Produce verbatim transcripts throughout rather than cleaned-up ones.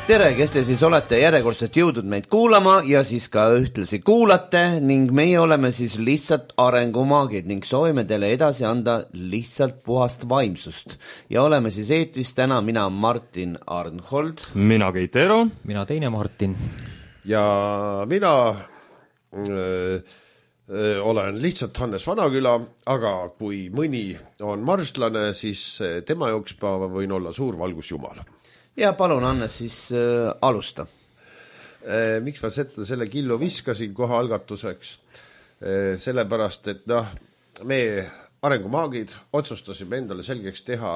Tere, kes te siis olete järjekordselt jõudnud meid kuulama ja siis ka ühtlasi kuulate ning meie oleme siis lihtsalt arengumaagid ning soovime teile edasi anda lihtsalt puhast vaimsust. Ja oleme siis eetris täna mina Martin Arnhold. Mina Keit Eero. Mina teine Martin. Ja mina öö, öö, olen lihtsalt Hannes Vanaküla, aga kui mõni on marslane, siis tema jooks ma võin olla suur valgusjumal. Ja palun, Annes, siis äh, alusta. E, miks ma seda selle killu viskasin kohe algatuseks? E, sellepärast, et noh, me arengumaagid otsustasime endale selgeks teha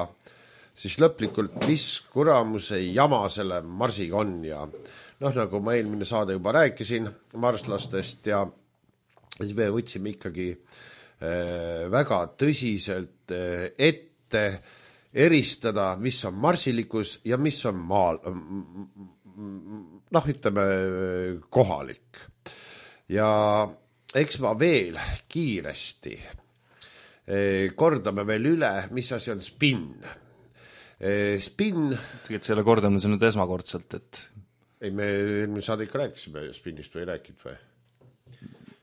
siis lõplikult, mis kuramuse jama selle marsiga on ja noh, nagu ma eelmine saade juba rääkisin marslastest ja siis me võtsime ikkagi e, väga tõsiselt e, ette eristada, mis on marsilikkus ja mis on maal, noh, ütleme, kohalik. Ja eks ma veel kiiresti kordame veel üle, mis asi on spinn. Spinn... Tegelikult selle kordame see nüüd esmakordselt, et... Ei, me eelmine saade ikka rääkisime spinnist või rääkid või?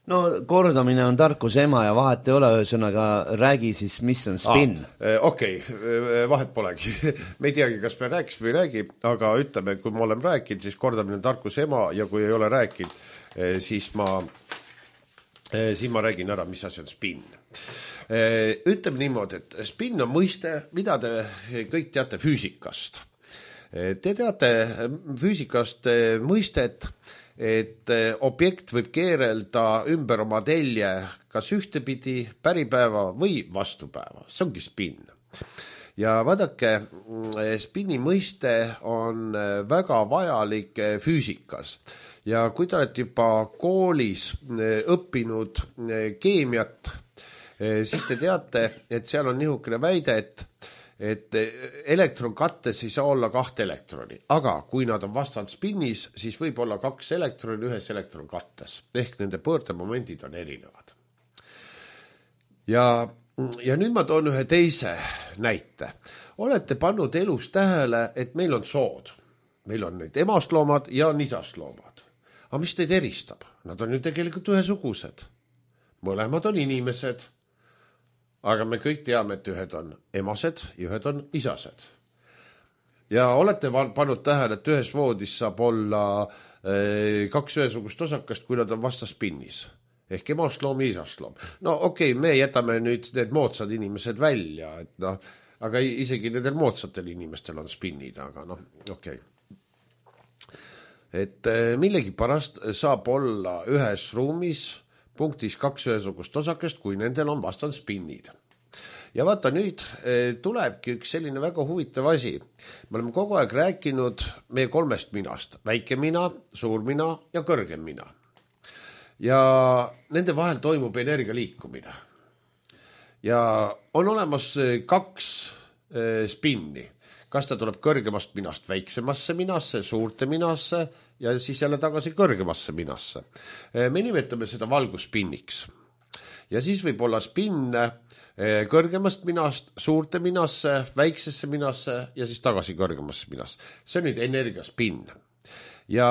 No kordamine on tarkuse ema ja vahet ei ole, ühesõnaga räägi siis, mis on spinn. Ah, okei, okay, vahet polegi. Me ei teagi, kas me rääkis või räägi, aga ütleme, kui ma olen rääkinud, siis kordamine on tarkuse ema ja kui ei ole rääkinud, siis ma, siis ma räägin ära, mis asi on spinn. Ütleme niimoodi, et spinn on mõiste, mida te kõik teate füüsikast. Te teate füüsikast mõistet, et objekt võib keerelda ümber oma telje kas ühtepidi, päripäeva või vastupäeva. See ongi spinn. Ja vaadake, spinni mõiste on väga vajalik füüsikas. Ja kui te olete juba koolis õppinud keemiat, siis te teate, et seal on niisugune väide, et et elektronkattes ei saa olla kahte elektroni, aga kui nad on vastand spinnis, siis võib olla kaks elektroni ühes elektronkattes, ehk nende pöördemomendid on erinevad. Ja, ja nüüd ma toon ühe teise näite. Olete pannud elus tähele, et meil on sood. Meil on neid emastloomad ja nisastloomad. Aga mis teid eristab? Nad on ju tegelikult ühesugused. Mõlemad on inimesed. Aga me kõik teame, et ühed on emased ja ühed on isased. Ja olete pannud tähele, et ühes voodis saab olla kaks ühesugust osakast, kui nad on vastaspinnis. Ehk emastloom ja isastloom. No okei, okay, me jätame nüüd need moodsad inimesed välja, et noh, aga isegi nendel moodsatel inimestel on spinnid, aga noh, okei. Okay. Et millegi pärast saab olla ühes ruumis punktis kaks ühesugust osakest, kui nendel on vastan spinnid. Ja vaata nüüd tulebki üks selline väga huvitav asi. Me oleme kogu aeg rääkinud meie kolmest minast. Väike mina, suur mina ja kõrgem mina. Ja nende vahel toimub energia liikumine. Ja on olemas kaks spinni. Kas ta tuleb kõrgemast minast väiksemasse minasse, suurte minasse ja siis jälle tagasi kõrgemasse minasse. Me nimetame seda valguspinniks. Ja siis võib olla spinn kõrgemast minast, suurte minasse, väiksesse minasse ja siis tagasi kõrgemasse minasse. See on nüüd energiaspinn. Ja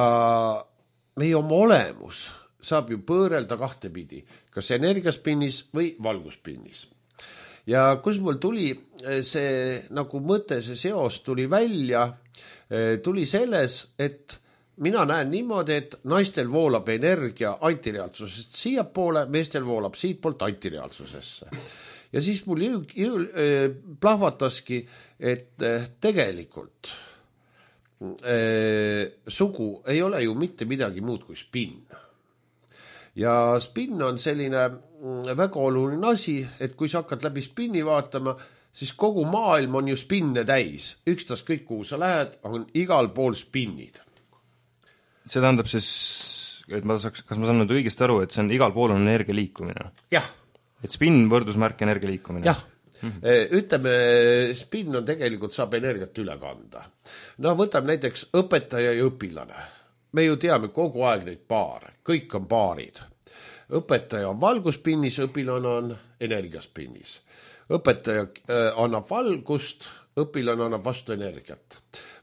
meie oma olemus saab ju pöörelda kahte pidi, kas energiaspinnis või valguspinnis. Ja kus mul tuli see nagu mõte, see seos tuli välja, tuli selles, et mina näen niimoodi, et naistel voolab energia antireaalsusest siia poole, meestel voolab siit poolt antireaalsusesse. Ja siis mul jõu, jõu, plahvataski, et tegelikult äh, sugu ei ole ju mitte midagi muud kui spinn. Ja spinn on selline väga oluline asi, et kui sa hakkad läbi spinni vaatama, siis kogu maailm on ju spinne täis. Ükstas kõik, kuhu sa lähed, on igal pool spinnid. See tähendab siis, et ma saaks, kas ma saan nüüd õigesti aru, et see on igal pool on energia liikumine? Jah. Et spinn võrdusmärk energia liikumine? Jah. Mm-hmm. Ütleme, spinn on tegelikult saab energiat üle kanda. No võtame näiteks õpetaja ja õpilane. Me ju teame kogu aeg neid paare. Kõik on paarid. Õpetaja on valguspinnis, õpilane on energiaspinnis. Õpetaja annab valgust, õpilane annab vastu energiat.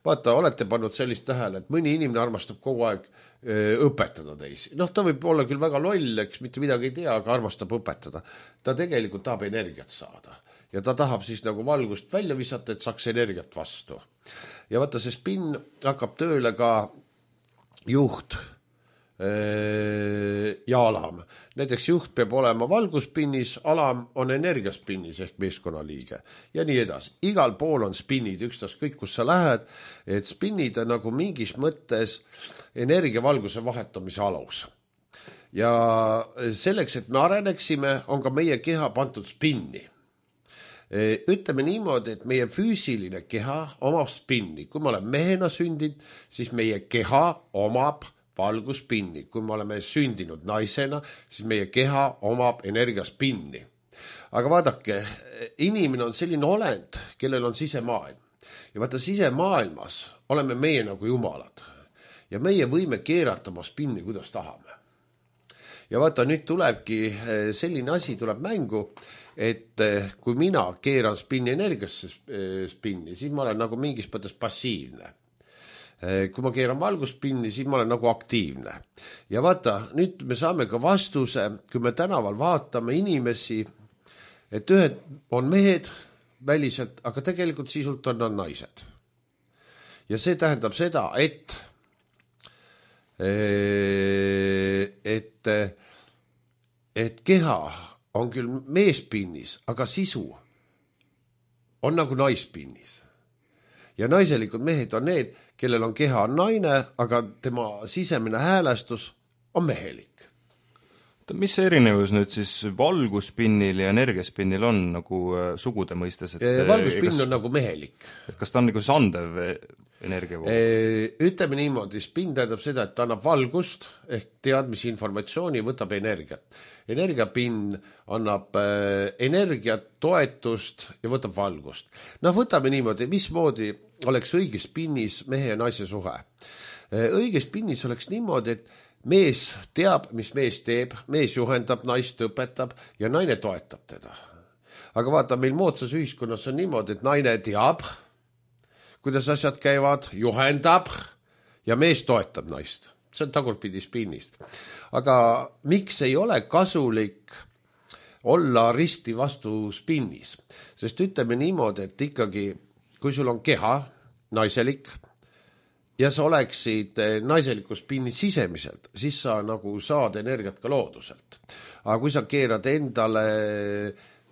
Vaata, olete pannud sellist tähele, et mõni inimene armastab kogu aeg öö, õpetada teisi. Noh, ta võib olla küll väga loll, eks mitte midagi ei tea, aga armastab õpetada. Ta tegelikult tahab energiat saada. Ja ta tahab siis nagu valgust välja visata, et saaks energiat vastu. Ja vaata, see spinn hakkab tööle ka juht ja alam. Näiteks juht peab olema valguspinnis, alam on energiaspinnis ehk meeskonnaliige ja nii edasi. Igal pool on spinnid, ükstas kõik, kus sa lähed, et spinnid on nagu mingis mõttes energiavalguse vahetamise alus. Ja selleks, et me areneksime, on ka meie keha pandud spinni. Ütleme niimoodi, et meie füüsiline keha omab spinni. Kui ma olen mehena sündinud, siis meie keha omab valguspinni. Kui me oleme sündinud naisena, siis meie keha omab energiaspinni. Aga vaadake, inimene on selline olend, kellel on sisemaailm. Ja vaata, sisemaailmas oleme meie nagu jumalad. Ja meie võime keerata oma spinni, kuidas tahame. Ja vaata, nüüd tulebki selline asi tuleb mängu, et kui mina keeran spinni energiasse spinni, siis ma olen nagu mingis mõttes passiivne. Kui ma keeran valguspinni, siis ma olen nagu aktiivne. Ja vaata, nüüd me saame ka vastuse, kui me tänaval vaatame inimesi, et ühed on mehed väliselt, aga tegelikult sisult on nad naised. Ja see tähendab seda, et et, et keha on küll meespinnis, aga sisu on nagu naispinnis. Ja naiselikud mehed on need, kellel on keha on naine, aga tema sisemine häälestus on mehelik. Mis see erinevus nüüd siis valguspinnil ja energiaspinnil on nagu sugude mõistes? Et valguspinn kas, on nagu mehelik. Et kas ta on nagu sandev energiavool? Ütleme niimoodi, spinn tähendab seda, et ta annab valgust, ehk teadmisi informatsiooni, võtab energiat. Energiapinn annab energiat, toetust ja võtab valgust. No võtame niimoodi, mismoodi oleks õiges spinnis mehe ja naise suhe. Õiges spinnis oleks niimoodi, et mees teab, mis mees teeb, mees juhendab, naist õpetab ja naine toetab teda. Aga vaata, meil moodsas ühiskonnas on niimoodi, et naine teab, kuidas asjad käivad, juhendab ja mees toetab naist. See on tagurpidi spinnist. Aga miks ei ole kasulik olla risti vastu spinnis? Sest ütleme niimoodi, et ikkagi, kui sul on keha, naiselik, ja sa oleksid naiseliku spinni sisemiselt, siis sa nagu saad energiat ka looduselt. Aga kui sa keerad endale,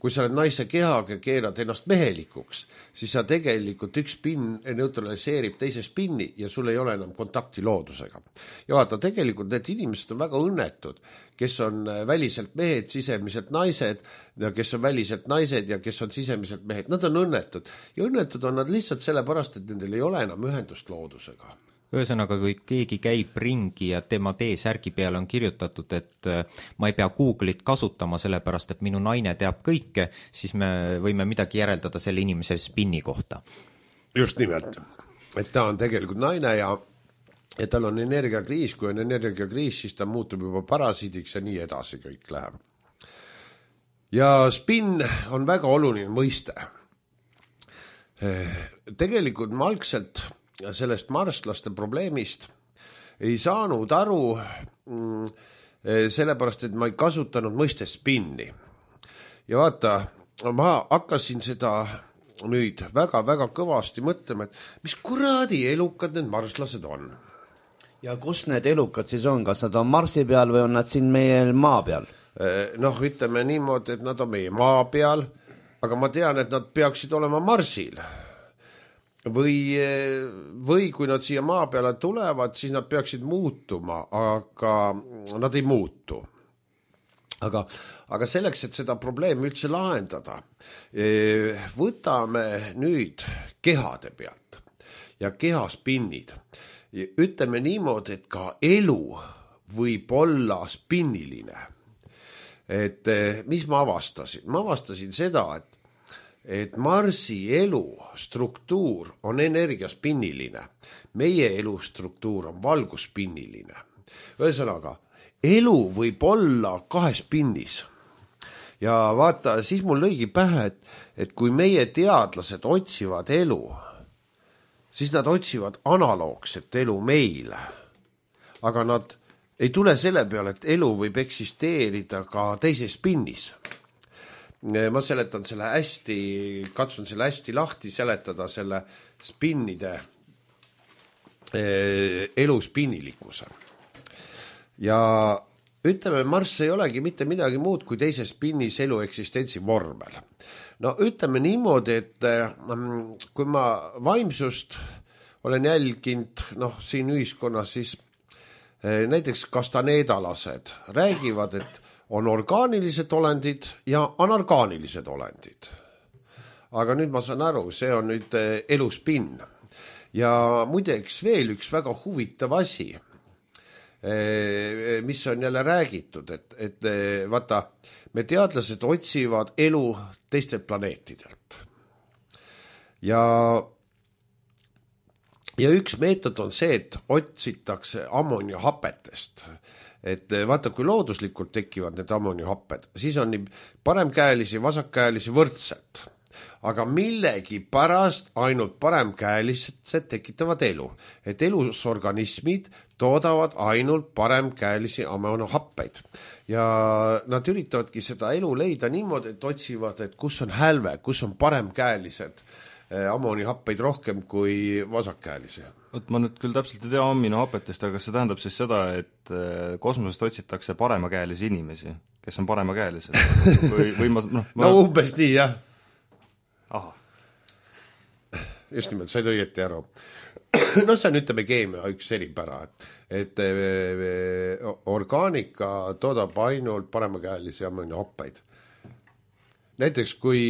kui sa oled naise kehaga, keerad ennast mehelikuks, siis sa tegelikult üks spinn neutraliseerib teise spinni ja sul ei ole enam kontakti loodusega. Ja vaata, tegelikult need inimesed on väga õnnetud, kes on väliselt mehed, sisemiselt naised, kes on väliselt naised ja kes on sisemiselt mehed. Nad on õnnetud. Ja õnnetud on nad lihtsalt sellepärast, et nendel ei ole enam ühendust loodusega. Ühesõnaga, kui keegi käib ringi ja tema T-särgi peale on kirjutatud, et ma ei pea Google'it kasutama sellepärast, et minu naine teab kõike, siis me võime midagi järeldada selle inimese spinni kohta. Just nimelt. Et ta on tegelikult naine ja, ja tal on energiakriis. Kui on energiakriis, siis ta muutub juba parasiidiks ja nii edasi kõik läheb. Ja spinn on väga oluline mõiste. Tegelikult ma algselt ja sellest marslaste probleemist ei saanud aru mm, sellepärast, et ma ei kasutanud mõiste spinni. Ja vaata, ma hakkasin seda nüüd väga-väga kõvasti mõtlema, et mis kuradi elukad need marslased on. Ja kus need elukad siis on? Kas nad on Marsi peal või on nad siin meie maa peal? Noh, ütleme niimoodi, et nad on meie maa peal, aga ma tean, et nad peaksid olema Marsil. Või, või kui nad siia maa peale tulevad, siis nad peaksid muutuma, aga nad ei muutu. Aga, aga selleks, et seda probleemi üldse lahendada, võtame nüüd kehade pealt ja kehaspinnid. Ütleme niimoodi, et ka elu võib olla spinniline. Et mis ma avastasin? Ma avastasin seda, et et Marsi elu struktuur on energiaspinniline. Meie elu struktuur on valguspinniline. Ühesõnaga, elu võib olla kahes spinnis. ja vaata, siis mul lõigi pähe, et, et kui meie teadlased otsivad elu, siis nad otsivad analoogset elu meile. Aga nad ei tule selle peale, et elu võib eksisteerida ka teises spinnis. Ma seletan selle hästi, katsun selle hästi lahti seletada selle spinnide elu spinnilikkuse. Ja ütleme, Marss ei olegi mitte midagi muud kui teises spinnis elu eksistentsi vormel. No ütleme niimoodi, et kui ma vaimsust olen jälginud noh, siin ühiskonnas, siis näiteks kastaneedalased räägivad, et on orgaanilised olendid ja anorgaanilised olendid. Aga nüüd ma saan aru, see on nüüd elu spinn. Ja muideks veel üks väga huvitav asi, mis on jälle räägitud, et, et vaata, me teadlased otsivad elu teistelt planeetidelt. Ja, ja üks meetod on see, et otsitakse ammoniahapetest. Et vaata, kui looduslikult tekivad need ammoniahapped, siis on nii paremkäelisi, vasakkäelisi võrdselt. Aga millegi pärast ainult paremkäelised tekitavad elu. Et elusorganismid toodavad ainult paremkäelisi ammoniahappeid. Ja nad üritavadki seda elu leida niimoodi, et otsivad, et kus on hälve, kus on paremkäelised ammoniahappeid rohkem kui vasakkäelisi. Oot, ma nüüd küll täpselt ei tea ammoniahapetest, aga see tähendab siis seda, et kosmosest otsitakse paremakäelisi inimesi, kes on paremakäelised. Või, või ma, no, ma... no umbes nii, jah. Aha. Just nimelt, said õieti aru. No see on, ütleme, keemia üks eripära, et, et orgaanika toodab ainult paremakäelisi ammoniahappeid. Näiteks, kui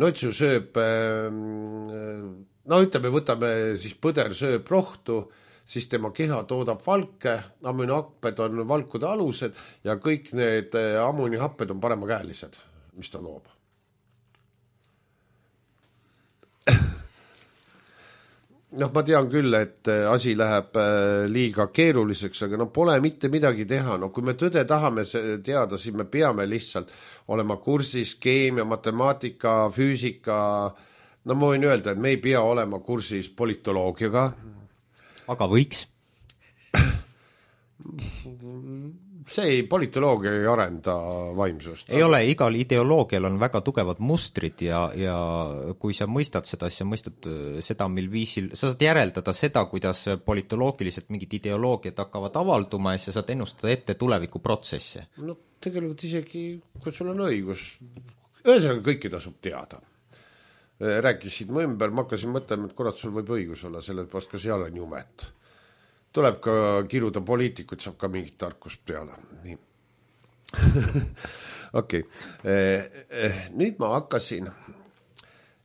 notsu sööb, no ütleme, võtame siis põder sööb rohtu, siis tema keha toodab valke, ammoniahapped on valkude alused ja kõik need ammoniahapped on paremakäelised, mis ta loob. Noh, ma tean küll, et asi läheb liiga keeruliseks, aga no pole mitte midagi teha. No kui me tõde tahame teada, siis me peame lihtsalt olema kursis keemia, matemaatika, füüsika. No ma võin öelda, et me ei pea olema kursis politoloogiaga. Aga võiks? See ei, politoloogia ei arenda vaimsust. Ei ole, igal ideoloogial on väga tugevad mustrid ja, ja kui sa mõistad seda, siis sa mõistad seda, mil viisil, sa saad järeldada seda, kuidas politoloogiliselt mingid ideoloogiad hakkavad avalduma ja sa saad ennustada ette tulevikuprotsesse. No tegelikult isegi, kui sul on õigus, ühesõnaga kõiki tasub teada. Rääkisid mu ümber, ma hakkasin mõtlema, et kurat, sul võib õigus olla, sellepärast ka seal on jumet. Tuleb ka kiruda poliitikud, saab ka mingit tarkust peale. Nii. Okei. Okay. Nüüd ma hakkasin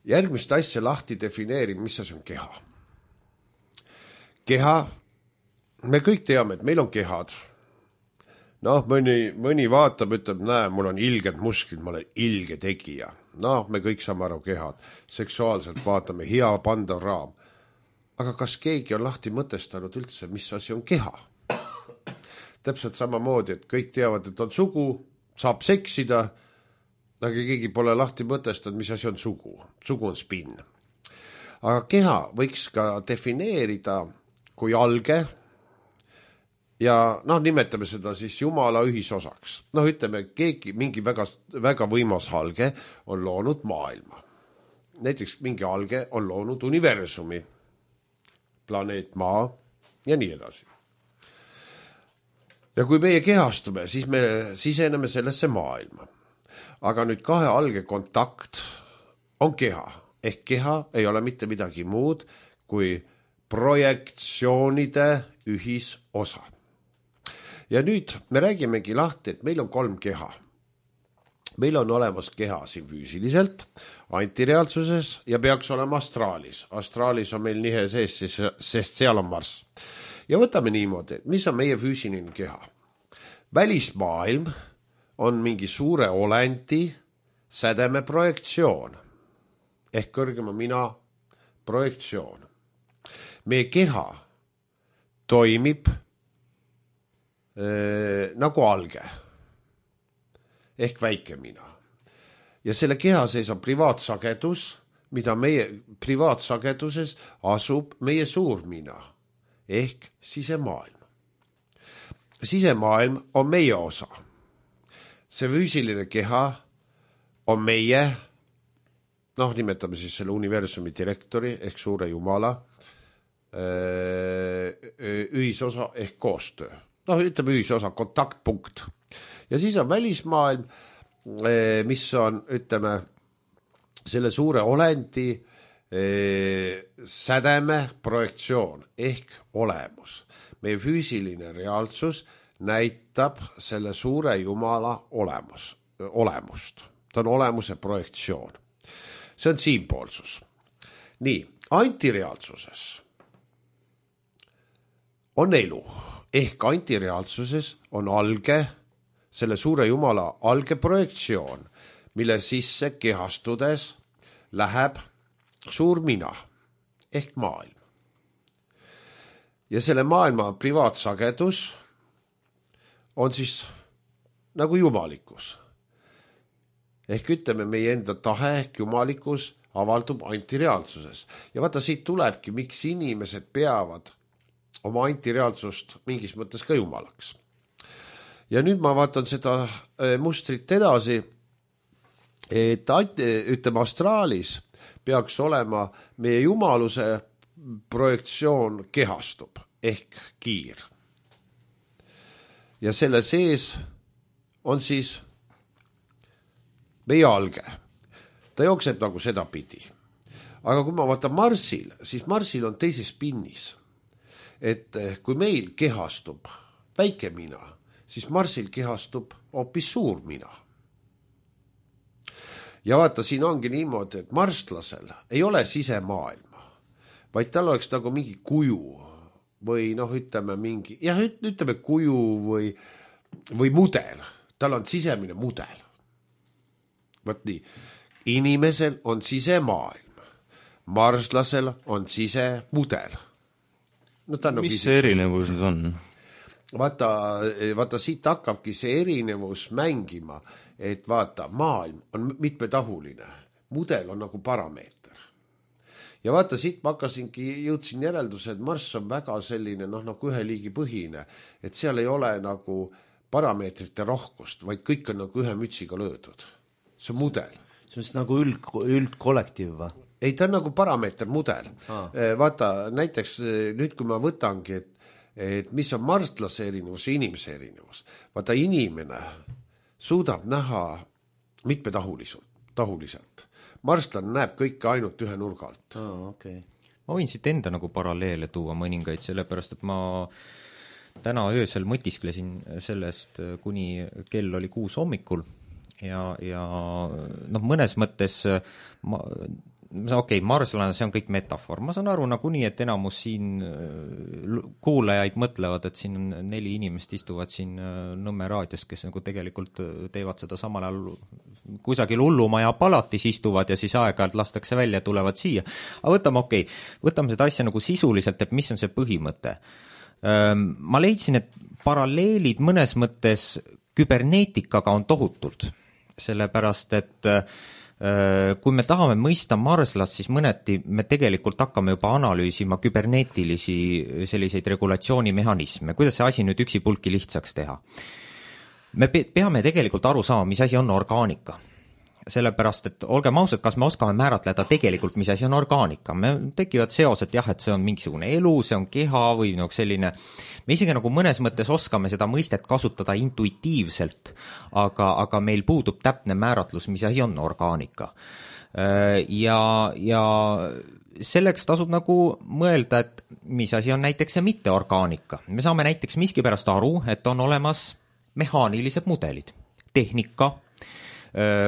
järgmist asja lahti defineerima, mis see on keha. Keha, me kõik teame, et meil on kehad. Noh, mõni, mõni vaatab, ütleb, näe, mul on ilged musklid, ma olen ilge tegija. Noh, me kõik saame aru kehad. Seksuaalselt vaatame, hea pandav raam. Aga kas keegi on lahti mõtestanud üldse, mis asi on keha? Täpselt samamoodi, et kõik teavad, et on sugu, saab seksida, aga keegi pole lahti mõtestanud, mis asi on sugu. Sugu on spinn. Aga keha võiks ka defineerida kui alge ja noh, nimetame seda siis Jumala ühisosaks. Noh, ütleme, keegi, mingi väga, väga võimas alge on loonud maailma. Näiteks mingi alge on loonud universumi, planeet Maa ja nii edasi. Ja kui meie kehastume, siis me siseneme sellesse maailma. Aga nüüd kahe alge kontakt on keha. Ehk keha ei ole mitte midagi muud kui projektsioonide ühisosa. Ja nüüd me räägimegi lahti, et meil on kolm keha. Meil on olemas keha siin füüsiliselt, antireaalsuses ja peaks olema astraalis. Astraalis on meil nihe sees, sest seal on Marss. Ja võtame niimoodi, mis on meie füüsiline keha. Välismaailm on mingi suure olendi sädeme projektsioon. Ehk kõrgema mina projektsioon. Meie keha toimib äh, nagu alge. Ehk väike mina. ja selle keha sees on privaatsagedus, mida meie privaatsageduses asub meie suurmina ehk sisemaailm. Sisemaailm on meie osa. See füüsiline keha on meie, noh, nimetame siis selle universumi direktori ehk suure jumala ühisosa ehk koostöö. Noh, ütleme ühisosa, kontaktpunkt. Ja siis on välismaailm, mis on, ütleme, selle suure olendi sädeme projektsioon ehk olemus. Meie füüsiline reaalsus näitab selle suure jumala olemus, olemust. Ta on olemuse projektsioon. See on siinpoolsus. Nii, antireaalsuses on elu ehk antireaalsuses on alge, selle suure jumala alge projektsioon, mille sisse kehastudes läheb suur mina ehk maailm. Ja selle maailma privaatsagedus on siis nagu jumalikkus. Ehk ütleme, meie enda tahe ehk jumalikkus avaldub antireaalsuses. Ja vaata, siit tulebki, miks inimesed peavad oma antireaalsust mingis mõttes ka jumalaks. Ja nüüd ma vaatan seda mustrit edasi, et ütleme, astraalis peaks olema meie jumaluse projektsioon kehastub ehk kiir. Ja selle sees on siis meie alge. Ta jookseb nagu seda pidi. Aga kui ma vaatan Marsil, siis Marsil on teises pinnis. Et kui meil kehastub väike mina, siis Marsil kehastub hoopis suur mina. Ja vaata, siin ongi niimoodi, et marslasel ei ole sisemaailma, vaid tal oleks nagu mingi kuju või noh, ütleme mingi, jah, ütleme kuju või, või mudel. Tal on sisemine mudel. Võt nii, inimesel on sisemaailm, marslasel on sisemudel. No, no, mis see erinevus nüüd on? Vaata, vaata, siit hakkabki see erinevus mängima, et vaata, maailm on mitmetahuline, mudel on nagu parameeter. Ja vaata, siit ma hakkasingi, jõudsin järelduse, et Marss on väga selline, noh, nagu ühe liigi põhine, et seal ei ole nagu parameetrite rohkust, vaid kõik on nagu ühe mütsiga löödud. See on mudel. See on nagu üld, üldkollektiiv või? Ei, ta on nagu parameeter mudel. Ah. Vaata, näiteks nüüd, kui ma võtangi, et, et mis on marstlase erinevus ja inimese erinevus. Vaata, inimene suudab näha mitmetahuliselt. Marstlane näeb kõike ainult ühe nurga alt. Ah, okay. Ma võin siit enda nagu paralleele tuua mõningaid, sellepärast, et ma täna öösel mõtisklesin sellest, kuni kell oli kuus hommikul ja, ja noh, mõnes mõttes ma okei, okay, marslane, see on kõik metafoor. Ma saan aru nagunii, et enamus siin kuulajaid mõtlevad, et siin on neli inimest istuvad siin Nõmme raadios, kes nagu tegelikult teevad seda samal ajal kusagil hullumaja palatis istuvad ja siis aeg-ajalt lastakse välja ja tulevad siia. Aga võtame, okei, okay, võtame seda asja nagu sisuliselt, et mis on see põhimõte. Ma leidsin, et paralleelid mõnes mõttes küberneetikaga on tohutult, sellepärast, et kui me tahame mõista marslast, siis mõneti me tegelikult hakkame juba analüüsima küberneetilisi selliseid regulatsioonimehhanisme. Kuidas see asi nüüd üksipulki lihtsaks teha? Me peame tegelikult aru saama, mis asi on orgaanika. Sellepärast, et olgem ausad, kas me oskame määratleda tegelikult, mis asi on orgaanika. Me tekivad seosed, jah, et see on mingisugune elu, see on keha või nagu selline, me isegi nagu mõnes mõttes oskame seda mõistet kasutada intuitiivselt, aga, aga meil puudub täpne määratlus, mis asi on orgaanika. Ja, ja selleks tasub nagu mõelda, et mis asi on näiteks see mitteorgaanika. Me saame näiteks miskipärast aru, et on olemas mehaanilised mudelid, tehnika,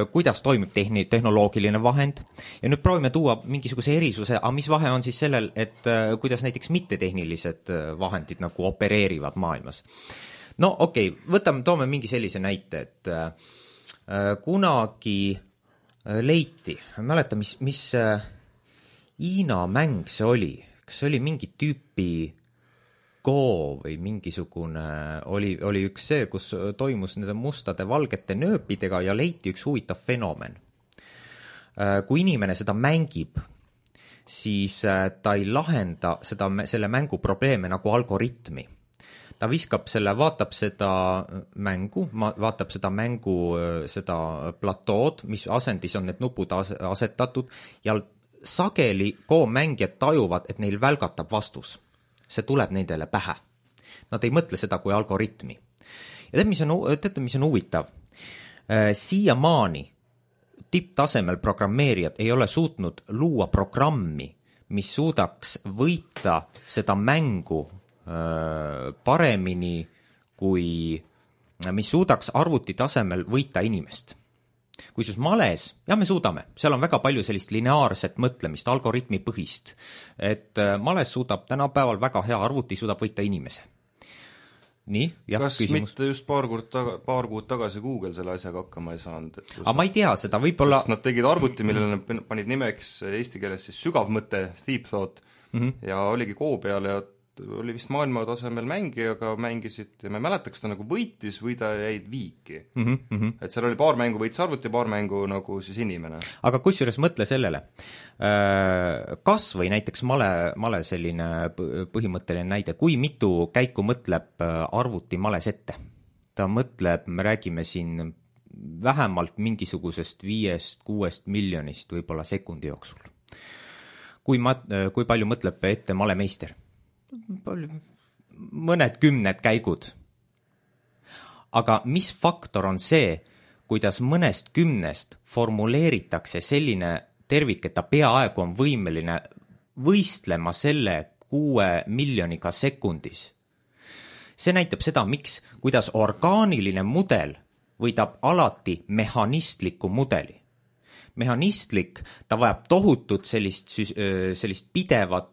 kuidas toimib tehni, tehnoloogiline vahend ja nüüd proovime tuua mingisuguse erisuse, aga mis vahe on siis sellel, et kuidas näiteks mittetehnilised vahendid nagu opereerivad maailmas. No okei, okay, võtame, toome mingi sellise näite, et äh, kunagi leiti, mäleta, mis, mis äh, Hiina mäng see oli, kas see oli mingi tüüpi Go või mingisugune, oli, oli üks see, kus toimus nende mustade valgete nööpidega ja leiti üks huvitav fenomen. kui inimene seda mängib, siis ta ei lahenda seda, selle mängu probleeme nagu algoritmi. Ta viskab selle, vaatab seda mängu, vaatab seda mängu, seda platood, mis asendis on need nupud asetatud ja sageli koomängijad tajuvad, et neil välgatab vastus. See tuleb nendele pähe. Nad ei mõtle seda kui algoritmi. Ja tead, mis on, tead, mis on huvitav? Siiamaani tipptasemel programmeerijad ei ole suutnud luua programmi, mis suudaks võita seda mängu paremini kui, mis suudaks arvuti tasemel võita inimest. Kui sus males, ja me suudame, seal on väga palju sellist lineaarset mõtlemist, algoritmi põhist, et males suudab tänapäeval väga hea arvuti, suudab võita inimese. Nii, jah, kas küsimus. Mitte just paar kuud, taga, paar kuud tagasi Google selle asjaga hakkama ei saanud? Aga ma ei tea seda, võib-olla... Sest nad tegid arvuti, millele nad panid nimeks eesti keeles siis sügavmõte, deep thought, mm-hmm. ja oligi koo peal ja oli vist maailma tasemel mängijaga mängisid ja ma ei mäleta, kas ta nagu võitis või ta jäid viiki. Mm-hmm. Et seal oli paar mängu võitis arvuti ja paar mängu nagu siis inimene. Aga kusjuures mõtle sellele. Kas või näiteks male, male selline põhimõtteline näide, kui mitu käiku mõtleb arvuti males ette? Ta mõtleb, me räägime siin vähemalt mingisugusest viiest, kuuest miljonist võib-olla sekundi jooksul. Kui, ma, kui palju mõtleb ette malemeister? Mõned kümned käigud. Aga mis faktor on see, kuidas mõnest kümnest formuleeritakse selline tervik, et ta peaaegu on võimeline võistlema selle kuue miljoniga sekundis? See näitab seda, miks, kuidas orgaaniline mudel võidab alati mehhanistliku mudeli. Mehhanistlik, ta vajab tohutut sellist, sellist pidevat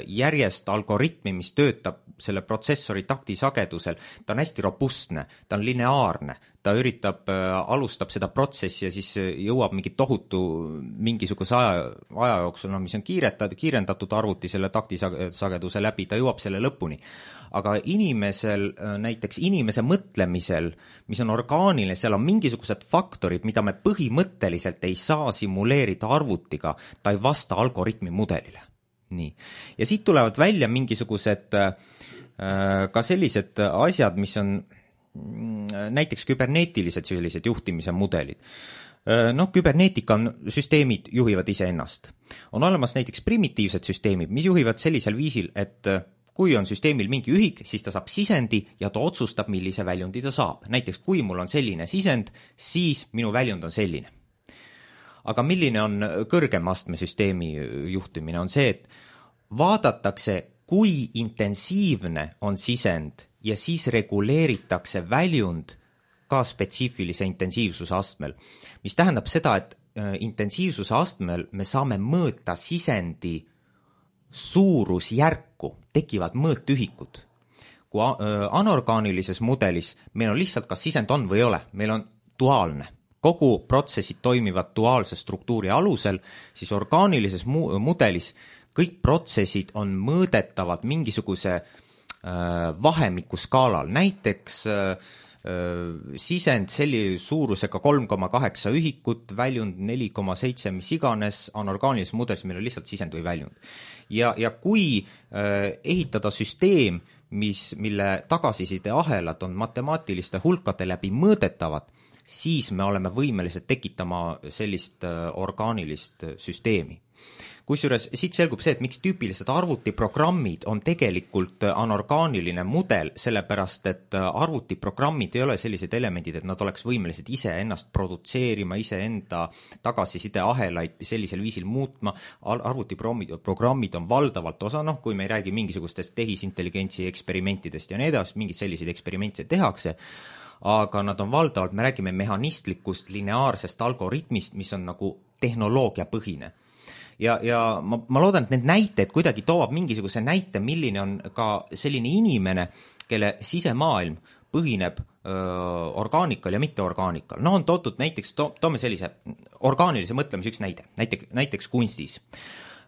järjest algoritmi, mis töötab selle protsessori taktisagedusel. Ta on hästi robustne, ta on lineaarne, ta üritab, alustab seda protsessi ja siis jõuab mingi tohutu mingisuguse aja, aja jooksul, no, mis on kiiretatud, kiirendatud arvuti selle taktisageduse läbi, ta jõuab selle lõpuni. Aga inimesel, näiteks inimese mõtlemisel, mis on orgaaniline, seal on mingisugused faktorid, mida me põhimõtteliselt ei saa simuleerida arvutiga, ta ei vasta algoritmi mudelile. Nii. Ja siit tulevad välja mingisugused ka sellised asjad, mis on näiteks küberneetilised sellised juhtimise mudelid. Noh, küberneetika on, süsteemid juhivad ise ennast. On olemas näiteks primitiivsed süsteemid, mis juhivad sellisel viisil, et kui on süsteemil mingi ühik, siis ta saab sisendi ja ta otsustab, millise väljundi ta saab. Näiteks, kui mul on selline sisend, siis minu väljund on selline. Aga milline on kõrgem astmesüsteemi juhtimine? On see, et vaadatakse, kui intensiivne on sisend ja siis reguleeritakse väljund ka spetsiifilise intensiivsuse astmel. Mis tähendab seda, et intensiivsuse astmel me saame mõõta sisendi suurusjärku, tekivad mõõtühikud. Kui anorgaanilises mudelis meil on lihtsalt, kas sisend on või ei ole, meil on duaalne. Kogu protsessid toimivad duaalse struktuuri alusel, siis orgaanilises mu- mudelis kõik protsessid on mõõdetavad mingisuguse äh, vahemiku skaalal. Näiteks äh, sisend selli suurusega kolm koma kaheksa ühikut, väljund neli koma seitse, mis iganes, anorgaanilises mudelis meil on lihtsalt sisend või väljund. Ja, ja kui äh, ehitada süsteem, mis, mille tagasiside ahelad on matemaatiliste hulkade läbi mõõdetavad, siis me oleme võimelised tekitama sellist äh, orgaanilist süsteemi. Kusjuures siit selgub see, et miks tüüpilised arvutiprogrammid on tegelikult anorgaaniline mudel, sellepärast et arvutiprogrammid ei ole sellised elemendid, et nad oleks võimelised ise ennast produtseerima, ise enda tagasiside ahelaid sellisel viisil muutma. Arvutiprogrammid on valdavalt osa, noh, kui me ei räägi mingisugustest tehisintelligentsi eksperimentidest ja nii edasi, mingid sellised eksperimente tehakse, aga nad on valdavalt, me räägime mehhanistlikust lineaarsest algoritmist, mis on nagu tehnoloogia põhine. Ja, ja ma, ma loodan, et need näited kuidagi toovad mingisuguse näite, milline on ka selline inimene, kelle sisemaailm põhineb öö, orgaanikal ja mitteorgaanikal. No on toodud näiteks, to, toome sellise orgaanilise mõtlemise üks näide, näiteks, näiteks kunstis.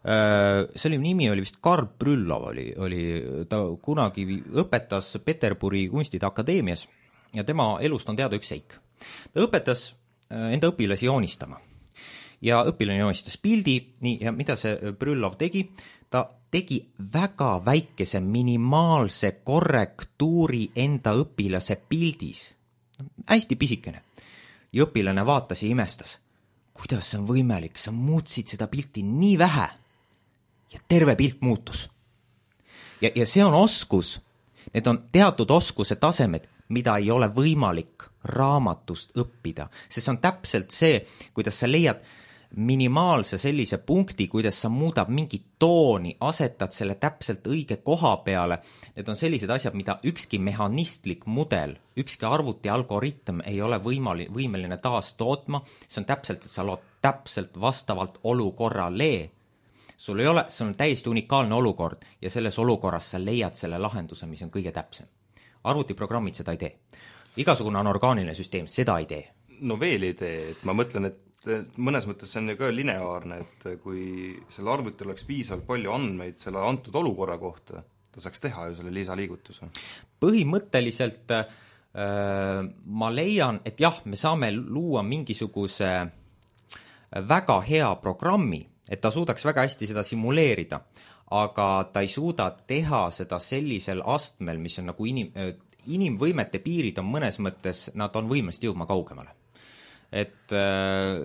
See oli, nimi oli vist Karl Brüllov, oli, oli, ta kunagi õpetas Peterburi kunstide akadeemias ja tema elust on teada üks seik. Ta õpetas enda õpilasi joonistama. ja õpilane joonistas pildi, nii, ja mida see Brüllov tegi? Ta tegi väga väikese minimaalse korrektuuri enda õpilase pildis. Hästi pisikene. Ja õpilane vaatas ja imestas. Kuidas see on võimalik? Sa muutsid seda pilti nii vähe ja terve pilt muutus. Ja, ja see on oskus. Need on teatud oskuse tasemed, mida ei ole võimalik raamatust õppida. See on täpselt see, kuidas sa leiad minimaalse sellise punkti, kuidas sa muudab mingit tooni, asetad selle täpselt õige koha peale. Need on sellised asjad, mida ükski mehhanistlik mudel, ükski arvuti algoritm ei ole võimali, võimeline taas tootma. See on täpselt, et sa lood täpselt vastavalt olukorrale. Sul ei ole, see on täiesti unikaalne olukord ja selles olukorras sa leiad selle lahenduse, mis on kõige täpsem. Arvutiprogrammid seda ei tee. Igasugune anorgaaniline süsteem seda ei tee. No veel ei tee, et ma mõtlen, et mõnes mõttes see on ju ka lineaarne, et kui selle arvuti oleks piisavalt palju andmeid selle antud olukorra kohta, ta saaks teha ju selle lisaliigutuse. Põhimõtteliselt äh, ma leian, et jah, me saame luua mingisuguse väga hea programmi, et ta suudaks väga hästi seda simuleerida, aga ta ei suuda teha seda sellisel astmel, mis on nagu inim, inimvõimete piirid on mõnes mõttes, nad on võimest jõudma kaugemale. Et äh,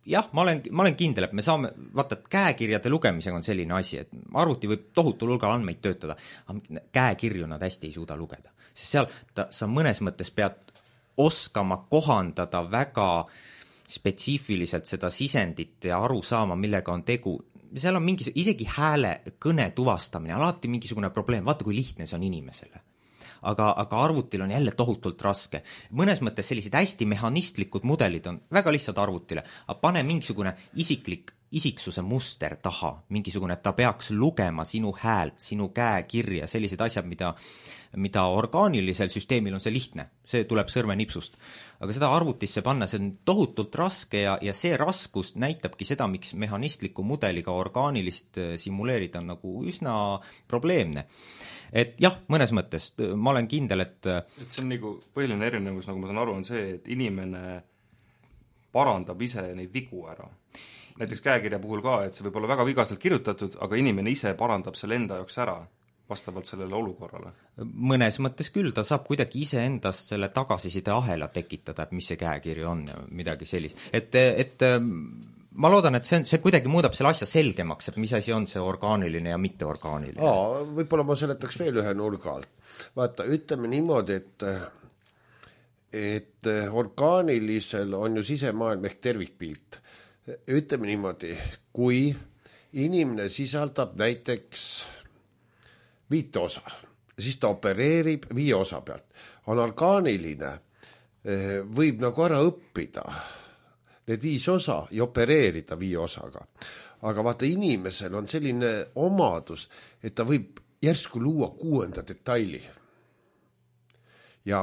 jah, ma olen, ma olen kindel, et me saame, vaata, et käekirjade lugemisega on selline asi, et arvuti võib tohutul hulgal andmeid töötada, aga käekirju nad hästi ei suuda lugeda. Sest seal ta, sa mõnes mõttes pead oskama kohandada väga spetsiifiliselt seda sisendit ja aru saama, millega on tegu. Seal on mingi, isegi hääle kõne tuvastamine, alati mingisugune probleem, vaata kui lihtne see on inimesele. Aga, aga arvutil on jälle tohutult raske. Mõnes mõttes sellised hästi mehhanistlikud mudelid on väga lihtsad arvutile, aga pane mingisugune isiklik isiksuse muster taha, mingisugune, et ta peaks lugema sinu häält, sinu käekirja, sellised asjad, mida, mida orgaanilisel süsteemil on see lihtne, see tuleb sõrmenipsust. Aga seda arvutisse panna, see on tohutult raske ja, ja see raskust näitabki seda, miks mehhanistliku mudeliga orgaanilist simuleerida on nagu üsna probleemne. Et jah, mõnes mõttes ma olen kindel, et et see on nagu põhiline erinevus, nagu ma saan aru, on see, et inimene parandab ise neid vigu ära. Näiteks käekirja puhul ka, et see võib olla väga vigaselt kirjutatud, aga inimene ise parandab selle enda jaoks ära vastavalt sellele olukorrale. Mõnes mõttes küll, ta saab kuidagi ise endast selle tagasiside ahela tekitada, et mis see käekiri on ja midagi sellist. Et, et ma loodan, et see, see kuidagi muudab selle asja selgemaks, et mis asi on see orgaaniline ja mitteorgaaniline. Aa, võib-olla ma seletaks veel ühe nurga alt. Vaata, ütleme niimoodi, et et orgaanilisel on ju sisemaailm ehk tervikpilt. Ütleme niimoodi, kui inimene sisaldab näiteks viite osa, siis ta opereerib viie osa pealt. On orgaaniline, võib nagu ära õppida need viis osa ja opereerida viie osaga. Aga vaata, inimesel on selline omadus, et ta võib järsku luua kuuenda detaili. Ja,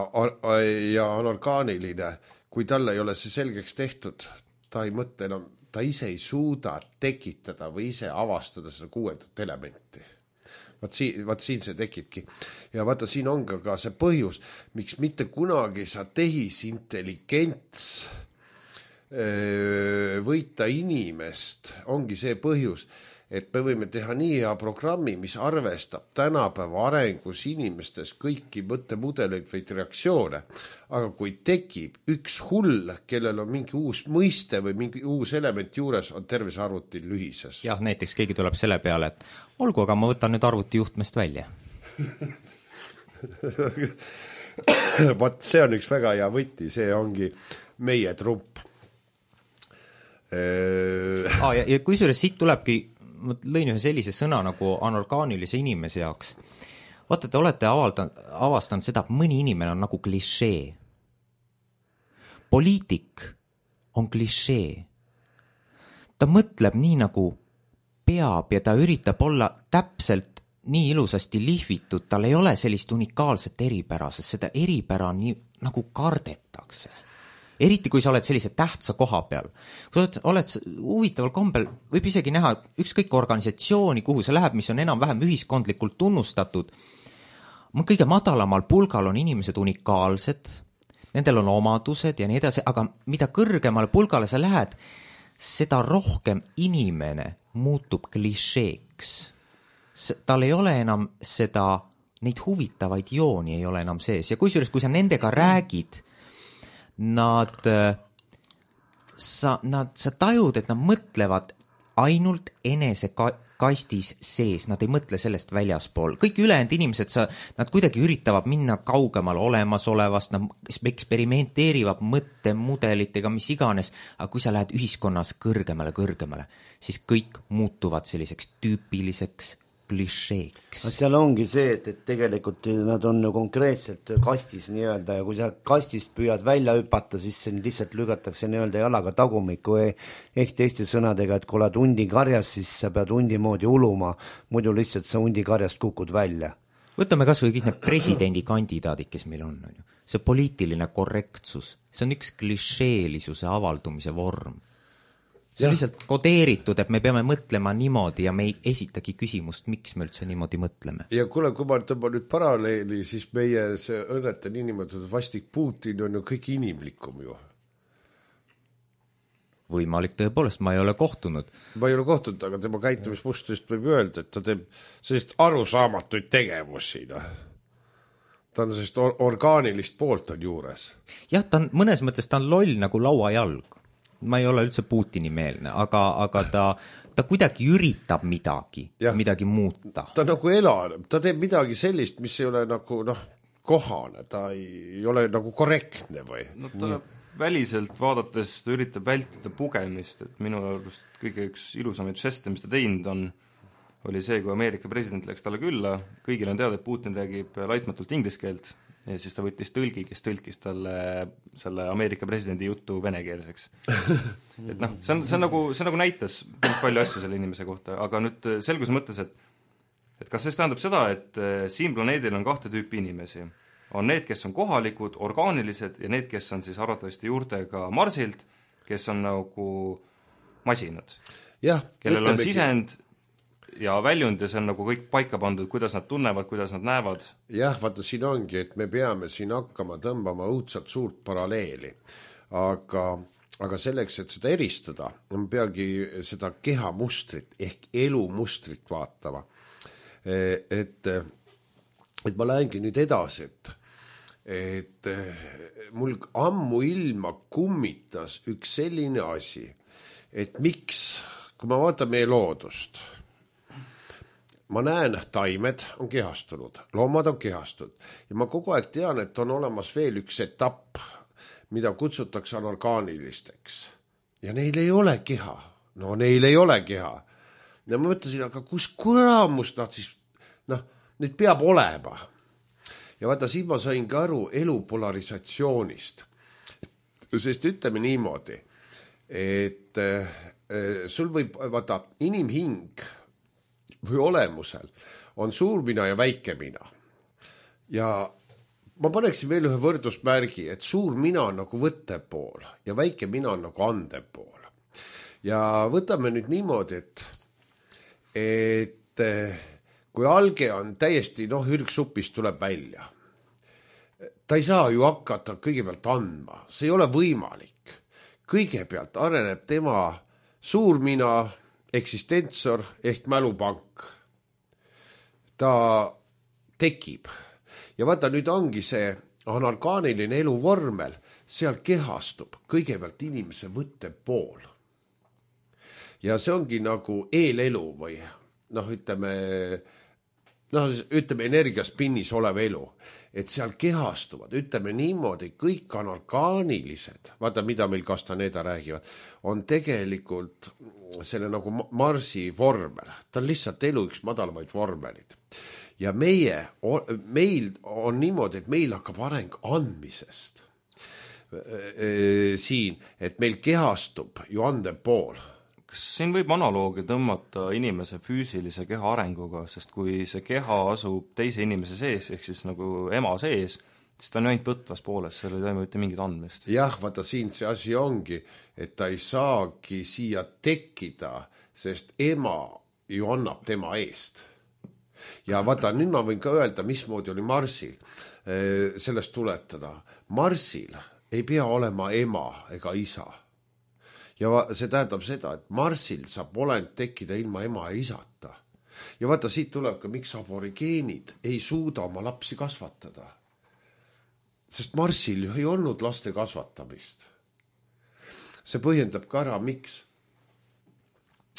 ja on orgaaniline, kui talle ei ole see selgeks tehtud, ta ei mõtle enam, ta ise ei suuda tekitada või ise avastada seda kuuendat elementi. Vaat siin, vaat siin see tekibki. Ja vaata, siin on ka, ka see põhjus, miks mitte kunagi sa tehisintelligents võita inimest, ongi see põhjus, et me võime teha nii hea programmi, mis arvestab tänapäeva arengus inimestes kõiki mõttemudeleid või reaktsioone. Aga kui tekib üks hull, kellel on mingi uus mõiste või mingi uus element juures, on terve arvuti lühises. Jah, näiteks keegi tuleb selle peale, et olgu, aga ma võtan nüüd arvuti juhtmest välja. Vaat see on üks väga hea võti, see ongi meie trump. Ah, ja, ja kui suures siit tulebki, ma lõin ühe sellise sõna nagu anorgaanilise inimese jaoks. Vaata, te olete avaldanud, avastanud seda, et mõni inimene on nagu klišee. Poliitik on klišee. Ta mõtleb nii nagu peab ja ta üritab olla täpselt nii ilusasti lihvitud, tal ei ole sellist unikaalset eripära, sest seda eripära nii nagu kardetakse. Eriti kui sa oled sellise tähtsa koha peal. Kui sa oled, oled huvitaval kombel, võib isegi näha ükskõik organisatsiooni, kuhu sa läheb, mis on enam-vähem ühiskondlikult tunnustatud. Kõige madalamal pulgal on inimesed unikaalsed, nendel on omadused ja nii edasi, aga mida kõrgemale pulgale sa lähed, seda rohkem inimene muutub klišeeks. Tal ei ole enam seda, neid huvitavaid jooni ei ole enam sees ja kusjuures, kui sa nendega räägid, nad, sa, nad, sa tajud, et nad mõtlevad ainult enese ka, kastis sees, nad ei mõtle sellest väljaspool. Kõik ülejäänud inimesed, sa, nad kuidagi üritavad minna kaugemal olemasolevast, nad eksperimenteerivad mõttemudelitega, mis iganes, aga kui sa lähed ühiskonnas kõrgemale, kõrgemale, siis kõik muutuvad selliseks tüüpiliseks klišeeks. Seal ongi see, et, et tegelikult nad on konkreetselt kastis nii-öelda ja kui sa kastist püüad välja hüpata, siis see lihtsalt lügatakse nii-öelda jalaga tagumikku ehk teiste sõnadega, et kui oled hundi karjas, siis sa pead hundi moodi uluma, muidu lihtsalt sa hundi karjast kukud välja. Võtame kas või kõik need presidendikandidaadid, kes meil on, on ju. See poliitiline korrektsus, see on üks klišeelisuse avaldumise vorm. See on lihtsalt kodeeritud, et me peame mõtlema niimoodi ja me ei esitagi küsimust, miks me üldse niimoodi mõtleme. Ja kuule, kui ma tõmban nüüd paralleeli, siis meie see õnnete niinimetatud vastik Putin on ju kõik inimlikum ju. Võimalik tõepoolest, ma ei ole kohtunud. Ma ei ole kohtunud, aga tema käitumismustest võib öelda, et ta teeb sellist arusaamatuid tegevusi. No. Ta on sellist or- orgaanilist poolt on juures. Jah, ta on, mõnes mõttes ta on loll nagu lauajalg. Ma ei ole üldse Putini meelne, aga, aga ta, ta kuidagi üritab midagi, ja. midagi muuta. Ta nagu elaneb, ta teeb midagi sellist, mis ei ole nagu noh, kohane, ta ei, ei ole nagu korrektne või? No ta väliselt vaadates ta üritab vältida pugemist, et minu arust kõige üks ilusamaid žeste, mis ta teinud on, oli see, kui Ameerika president läks talle külla, kõigil on teada, et Putin räägib laitmatult inglise keelt, ja siis ta võttis tõlgi, kes tõlkis talle selle Ameerika presidendi jutu venekeelseks. Et noh, see on, see on nagu, see nagu näitas palju asju selle inimese kohta, aga nüüd selgus mõttes, et, et kas see tähendab seda, et siin planeedil on kahte tüüpi inimesi. On need, kes on kohalikud, orgaanilised ja need, kes on siis arvatavasti juurtega Marsilt, kes on nagu masinad, ja, kellel on sisend ja väljund ja see on nagu kõik paika pandud, kuidas nad tunnevad, kuidas nad näevad. Jah, vaata siin ongi, et me peame siin hakkama tõmbama õudselt suurt paralleeli, aga, aga selleks, et seda eristada, on peagi seda kehamustrit ehk elumustrit vaatama. Et, et ma lähengi nüüd edasi, et, et mul ammu ilma kummitas üks selline asi, et miks, kui ma vaatan meie loodust, ma näen, taimed on kehastunud, loomad on kehastunud ja ma kogu aeg tean, et on olemas veel üks etapp, mida kutsutakse anorgaanilisteks. Ja neil ei ole keha. No neil ei ole keha. Ja ma mõtlesin, aga kus kuramust nad siis, noh, nüüd peab olema. Ja vaata, siin ma sain ka aru elu polarisatsioonist. Sest ütleme niimoodi, et äh, sul võib, vaata, inimhing või olemusel on suur mina ja väike mina. Ja ma paneksin veel ühe võrdusmärgi, et suur mina on nagu võttepool ja väike mina on nagu andepool. Ja võtame nüüd niimoodi, et, et kui alge on täiesti, noh, ürgsupist tuleb välja, ta ei saa ju hakata kõigepealt andma, see ei ole võimalik. Kõigepealt areneb tema suur mina, eksistentsor ehk mälupank. Ta tekib. Ja vaata, nüüd ongi see anorgaaniline eluvormel, seal kehastub kõigepealt inimese võttepool. Ja see ongi nagu eelelu või noh, ütleme, noh, ütleme energiaspinnis olev elu. Et seal kehastuvad, ütleme niimoodi, kõik anorgaanilised, vaata, mida meil Castaneda räägivad, on tegelikult selle nagu Marsi vormel. Ta on lihtsalt elu üks madalamaid vormelid. Ja meie, meil on niimoodi, et meil hakkab areng andmisest siin, et meil kehastub ju ande pool. Kas siin võib analoogi tõmmata inimese füüsilise keha arenguga, sest kui see keha asub teise inimese sees, ehk siis nagu ema sees, siis ta on ainult võtvas pooles, seal ei toimu mitte mingit andmist. Jah, vaata siin see asi ongi, et ta ei saagi siia tekkida, sest ema ju annab tema eest. Ja vaata, nüüd ma võin ka öelda, mismoodi oli Marsil sellest tuletada. Marsil ei pea olema ema ega isa. ja va, see tähendab seda, et Marsil saab olend tekkida ilma ema ja isata. Ja vaata, siit tuleb ka, miks aborigeenid ei suuda oma lapsi kasvatada. Sest Marsil ju ei olnud laste kasvatamist. See põhjendab ka ära, miks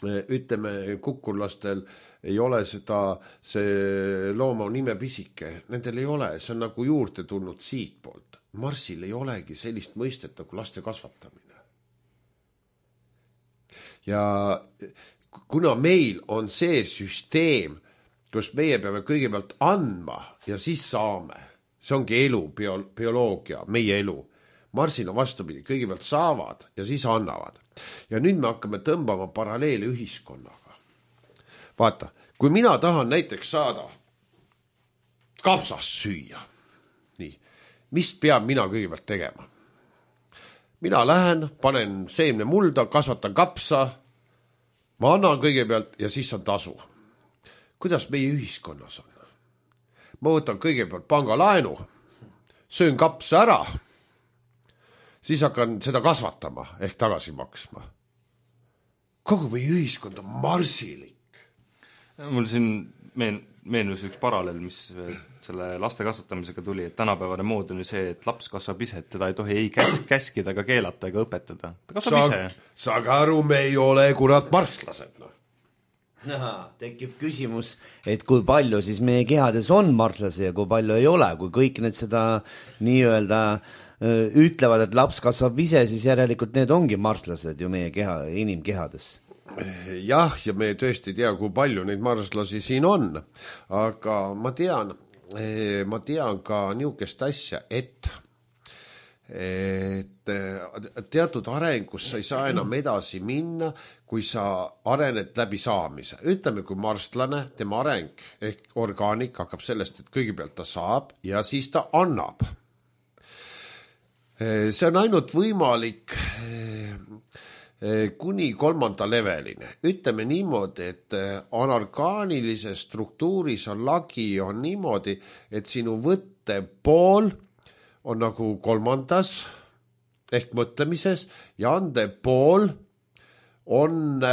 ütleme, kukurlastel ei ole seda, see looma nime pisike. Nendel ei ole, see on nagu juurde tulnud siit poolt. Marsil ei olegi sellist mõistet nagu laste kasvatamine. Ja kuna meil on see süsteem, kus meie peame kõigepealt andma ja siis saame, see ongi elu, bio, bioloogia, meie elu. Marsil on vastupidi, kõigepealt saavad ja siis annavad. Ja nüüd me hakkame tõmbama paralleele ühiskonnaga. Vaata, kui mina tahan näiteks saada kapsast süüa, nii, mis peab mina kõigepealt tegema? Mina lähen, panen seemne mulda, kasvatan kapsa, ma annan kõigepealt ja siis on tasu. Kuidas meie ühiskonnas on? Ma võtan kõigepealt pangalaenu, söön kapsa ära, siis hakkan seda kasvatama ehk tagasi maksma. Kogu meie ühiskond on marsilik. Mul siin meen, meenus üks paralleel, mis selle laste kasvatamisega tuli, et tänapäevane mood on ju see, et laps kasvab ise, et teda ei tohi ei käs, käskida ega keelata ega õpetada. Ta kasvab Saag, ise. Saage aru, me ei ole kurat marslased. No. Aha, tekib küsimus, et kui palju siis meie kehades on marslasi ja kui palju ei ole, kui kõik need seda nii-öelda ütlevad, et laps kasvab ise, siis järelikult need ongi marslased ju meie keha, inimkehades. Jah, ja me tõesti tea, kui palju neid marslasi siin on, aga ma tean, ma tean ka niisugust asja, et, et teatud arengus sa ei saa enam edasi minna, kui sa arened läbi saamise. Ütleme, kui marstlane, tema areng ehk orgaanik hakkab sellest, et kõigepealt ta saab ja siis ta annab. See on ainult võimalik kuni kolmanda leveline. Ütleme niimoodi, et anorgaanilises struktuuris on lagi on niimoodi, et sinu võtte pool on nagu kolmandas ehk mõtlemises ja ande pool on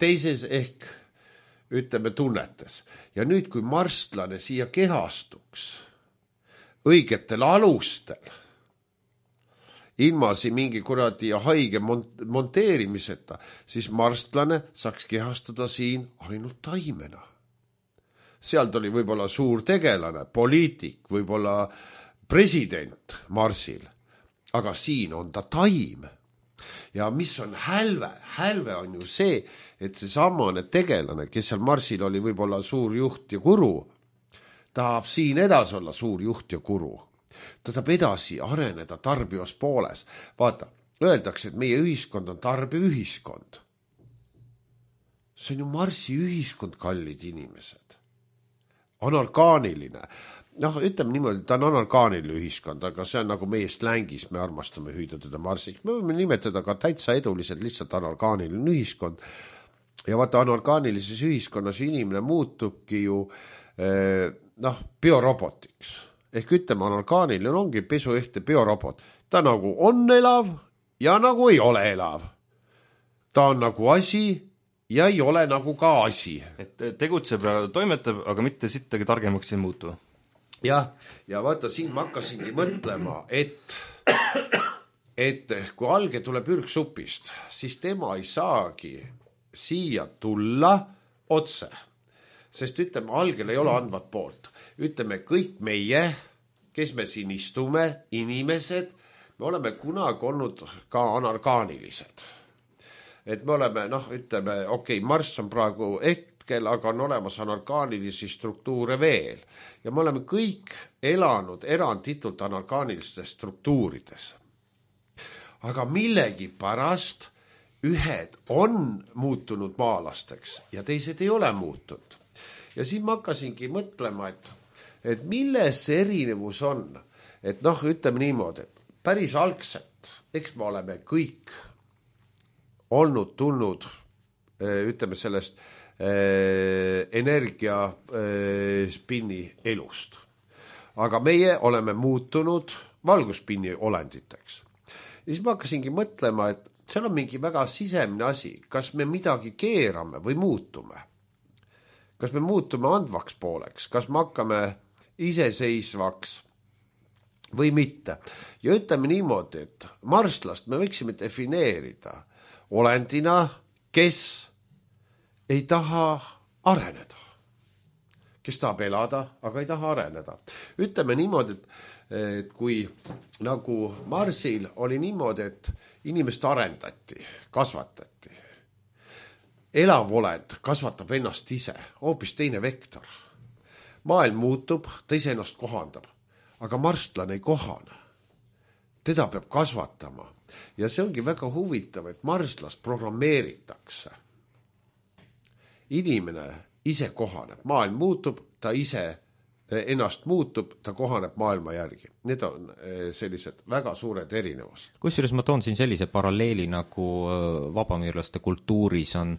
teises ehk ütleme tunnetes. Ja nüüd, kui marstlane siia kehastuks õigetel alustel, ilma siin mingi kuradi haige monteerimiseta, siis marstlane saaks kehastuda siin ainult taimena. Sealt oli võib-olla suur tegelane, poliitik, võib-olla president Marsil, aga siin on ta taim. Ja mis on hälve? Hälve on ju see, et see samane tegelane, kes seal Marsil oli võib-olla suur juht ja guru, tahab siin edasi olla suur juht ja guru. Ta tahab edasi areneda tarbivas pooles. Vaata, öeldakse, et meie ühiskond on tarbiv ühiskond. See on ju Marsi ühiskond, kallid inimesed. Anorgaaniline. Noh, ütleme niimoodi, ta on anorgaaniline ühiskond, aga see on nagu meie slängis, me armastame hüüda teda Marsiks. Me võime nimetada ka täitsa eduliselt lihtsalt anorgaaniline ühiskond. Ja vaata, anorgaanilises ühiskonnas inimene muutubki ju eh, noh, biorobotiks. Ehk ütleme, anorgaaniline ongi pesu ehte biorobot. Ta nagu on elav ja nagu ei ole elav. Ta on nagu asi ja ei ole nagu ka asi. Et tegutseb ja toimetab, aga mitte sittagi targemaks ei muutu. Jah, ja vaata, siin ma hakkasingi mõtlema, et, et kui alge tuleb ürgsupist, siis tema ei saagi siia tulla otse. Sest ütleme, algel ei ole andvat poolt. Ütleme, kõik meie, kes me siin istume, inimesed, me oleme kunagi olnud ka anorgaanilised. Et me oleme, noh, ütleme, okei, okay, Marss on praegu hetkel, aga on olemas anorgaanilisi struktuure veel. Ja me oleme kõik elanud eranditult anorgaanilistes struktuurides. Aga millegi pärast ühed on muutunud maalasteks ja teised ei ole muutunud. Ja siin ma hakkasingi mõtlema, et, et milles see erinevus on. Et noh, ütleme niimoodi, et päris algselt, eks me oleme kõik olnud tulnud, ütleme sellest eh, energia eh, spinni elust. Aga meie oleme muutunud valguspinni olenditeks. Ja siis ma hakkasingi mõtlema, et seal on mingi väga sisemine asi, kas me midagi keerame või muutume. Kas me muutume andvaks pooleks, kas me hakkame iseseisvaks või mitte. Ja ütleme niimoodi, et marslast me võiksime defineerida olendina, kes ei taha areneda. Kes tahab elada, aga ei taha areneda. Ütleme niimoodi, et, et kui nagu Marsil oli niimoodi, et inimest arendati, kasvatati. Elav olend kasvatab ennast ise, hoopis teine vektor. Maailm muutub, ta ise ennast kohandab, aga marstlane ei kohane. Teda peab kasvatama. Ja see ongi väga huvitav, et marslast programmeeritakse. Inimene ise kohaneb, maailm muutub, ta ise ennast muutub, ta kohaneb maailma järgi. Need on sellised väga suured erinevused. Kusjuures ma toon siin sellise paralleeli, nagu vabamiirlaste kultuuris on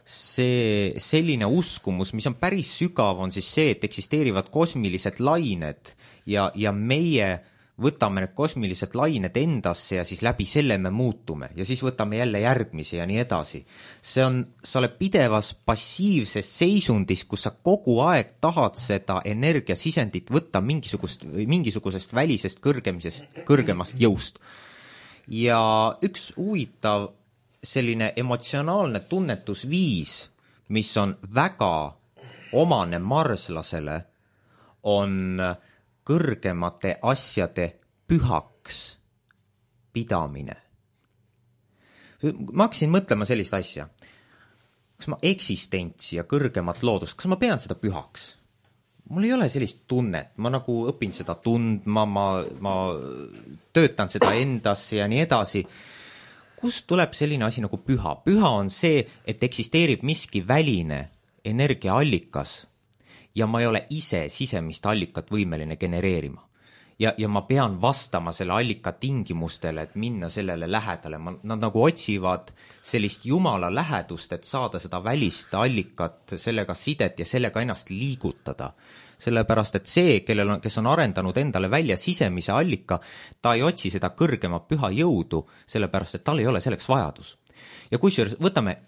see selline uskumus, mis on päris sügav, on siis see, et eksisteerivad kosmilised lained ja, ja meie võtame need kosmilised lained endasse ja siis läbi selle me muutume ja siis võtame jälle järgmise ja nii edasi. See on, sa oled pidevas passiivses seisundis, kus sa kogu aeg tahad seda energiasisendit võtta mingisugust, mingisugusest välisest kõrgemisest, kõrgemast jõust. Ja üks huvitav selline emotsionaalne tunnetusviis, mis on väga omane marslasele, on kõrgemate asjade pühaks pidamine. Ma hakkasin mõtlema sellist asja. Kas ma eksistentsi ja kõrgemat loodust, kas ma pean seda pühaks? Mul ei ole sellist tunnet, ma nagu õpin seda tundma, ma, ma töötan seda endasse ja nii edasi. Kust tuleb selline asi nagu püha? Püha on see, et eksisteerib miski väline energiaallikas ja ma ei ole ise sisemist allikat võimeline genereerima. Ja, ja ma pean vastama selle allika tingimustele, et minna sellele lähedale. Ma, nad nagu otsivad sellist jumala lähedust, et saada seda välist allikat, sellega sidet ja sellega ennast liigutada. Sellepärast, et see, kellel on, kes on arendanud endale välja sisemise allika, ta ei otsi seda kõrgema püha jõudu, sellepärast, et tal ei ole selleks vajadus. Ja kusjuures võtame,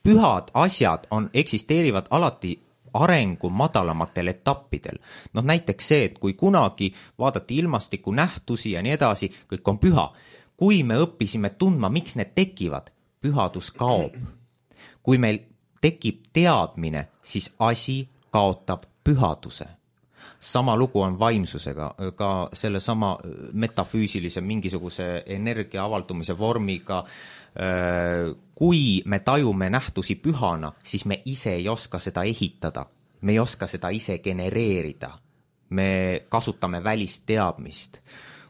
pühad asjad on, eksisteerivad alati arengu madalamatel etappidel. No näiteks see, et kui kunagi vaadati ilmastiku nähtusi ja nii edasi, kõik on püha. Kui me õppisime tundma, miks need tekivad, pühadus kaob. Kui meil tekib teadmine, siis asi kaotab pühaduse. Sama lugu on vaimsusega, ka selle sama metafüüsilise mingisuguse energia avaldumise vormiga. Kui me tajume nähtusi pühana, siis me ise ei oska seda ehitada. Me ei oska seda ise genereerida. Me kasutame välist teadmist.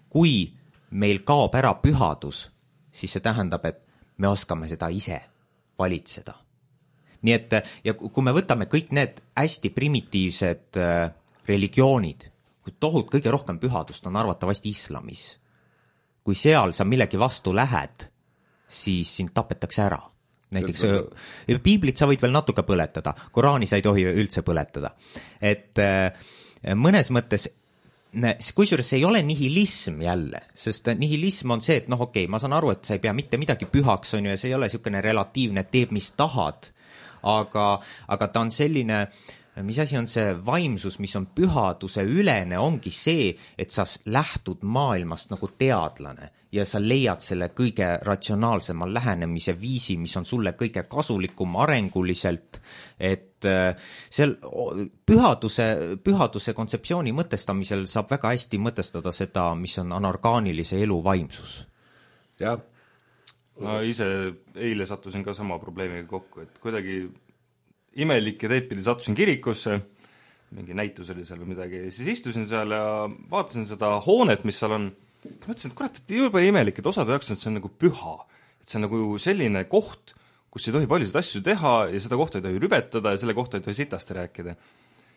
Kui meil kaob ära pühadus, siis see tähendab, et me oskame seda ise valitseda. Nii et, ja kui me võtame kõik need hästi primitiivsed religioonid, kui tohut kõige rohkem pühadust on arvatavasti islamis. Kui seal sa millegi vastu lähed, siis sind tapetakse ära. Näiteks piiblit sa võid veel natuke põletada, Koraani sa ei tohi üldse põletada. Et mõnes mõttes, kusjuures see ei ole nihilism jälle, sest nihilism on see, et noh okei, okay, ma saan aru, et sa ei pea mitte midagi pühaks, on ju, ja see ei ole niisugune relatiivne, teeb mis tahad, aga, aga ta on selline, mis asi on see vaimsus, mis on pühaduse ülene, ongi see, et sa lähtud maailmast nagu teadlane ja sa leiad selle kõige ratsionaalsema lähenemise viisi, mis on sulle kõige kasulikum arenguliselt, et seal pühaduse, pühaduse kontseptsiooni mõtestamisel saab väga hästi mõtestada seda, mis on anorgaanilise elu vaimsus. Jah. Ma ise eile sattusin ka sama probleemiga kokku, et kuidagi imelike teedpidi sattusin kirikusse, mingi näitus oli seal või midagi, siis istusin seal ja vaatasin seda hoonet, mis seal on. Mõtlesin, et kurat, et juba imelik, et osade jaoks, et see on nagu püha, et see on nagu selline koht, kus ei tohi paljusid asju teha ja seda kohta ei tohi rübetada ja selle kohta ei tohi sitasti rääkida.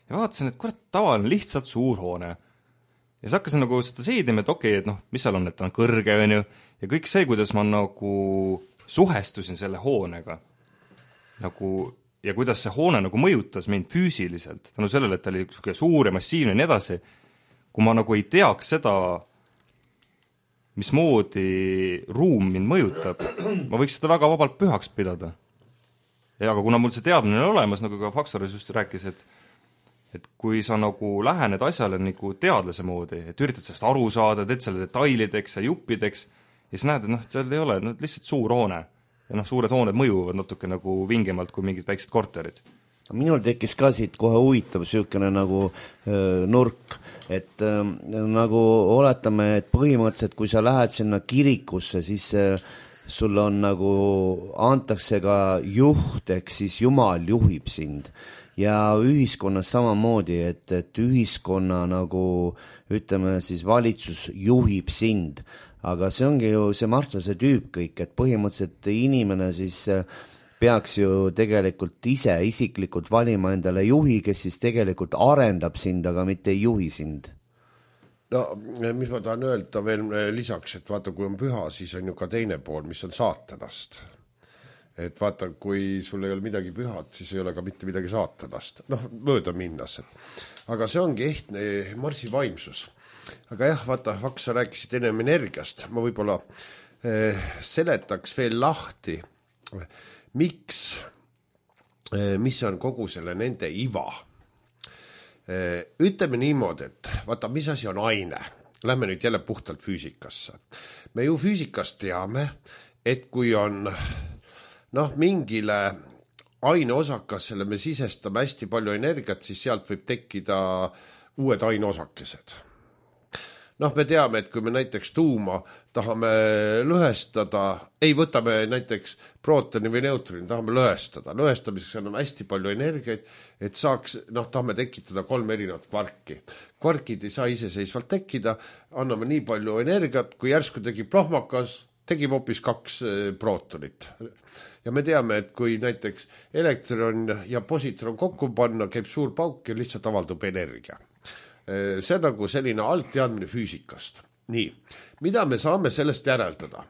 Ja vaatasin, et kurat, tavaline lihtsalt suur hoone. Ja siis hakkasin nagu seda seedima, et okei, okay, et noh, mis seal on, et ta on kõrge, on ju, ja kõik see, kuidas ma nagu suhestusin selle hoonega, nagu, ja kuidas see hoone nagu mõjutas mind füüsiliselt, tänu sellele, et ta oli suur ja massiivne ja nii edasi, kui ma nagu ei teaks seda, mismoodi ruum mind mõjutab, ma võiks seda väga vabalt pühaks pidada. Ja aga kuna mul see teadmine on olemas, nagu ka Faksoris just rääkis, et et kui sa nagu lähened asjale nagu teadlase moodi, et üritad sellest aru saada, teed selle detailideks ja juppideks, ja siis näed, et noh, seal ei ole no, lihtsalt suur hoone. Ja noh, suured hooned mõjuvad natuke nagu vingemalt kui mingid väiksed korterid. Minul tekkis ka siit kohe huvitav süükene nagu öö, nurk, et öö, nagu oletame, et põhimõtteliselt kui sa lähed sinna kirikusse, siis öö, sul on nagu, antakse ka juht, ehk siis Jumal juhib sind. Ja ühiskonnas samamoodi, et, et ühiskonna nagu, ütleme siis valitsus juhib sind. Aga see ongi ju see Martlase tüüp kõik, et põhimõtteliselt inimene siis peaks ju tegelikult ise isiklikult valima endale juhi, kes siis tegelikult arendab sind, aga mitte ei juhi sind. No, mis ma tahan öelda veel lisaks, et vaata, kui on püha, siis on ju ka teine pool, mis on saatanast. Et vaata, kui sul ei ole midagi pühat, siis ei ole ka mitte midagi saatanast. Noh, mööda minnas. Aga see ongi ehtne Marsi vaimsus. Aga jah, vaata, Vaks, sa rääkisid ennem energiast. Ma võib-olla eh, seletaks veel lahti, miks, eh, mis on kogu selle nende iva. Eh, ütleme niimoodi, et vaata, mis asi on aine. Lähme nüüd jälle puhtalt füüsikasse. Me ju füüsikast teame, et kui on noh, mingile aineosakasele me sisestame hästi palju energiat, siis sealt võib tekkida uued aineosakesed. Noh, me teame, et kui me näiteks tuuma tahame lõhestada, ei võtame näiteks prootoni või neutroni, tahame lõhestada. Lõhestamiseks on hästi palju energiaid, et saaks, noh, tahame tekitada kolm erinevat kvarki. Kvarkid ei saa iseseisvalt tekkida, anname nii palju energiat, kui järsku tegi plahmakas, tegib hoopis kaks prootonit. Ja me teame, et kui näiteks elektron ja positron kokku panna, käib suur pauk ja lihtsalt avaldub energia. See on nagu selline altteadmine füüsikast. Nii, mida me saame sellest järeldada?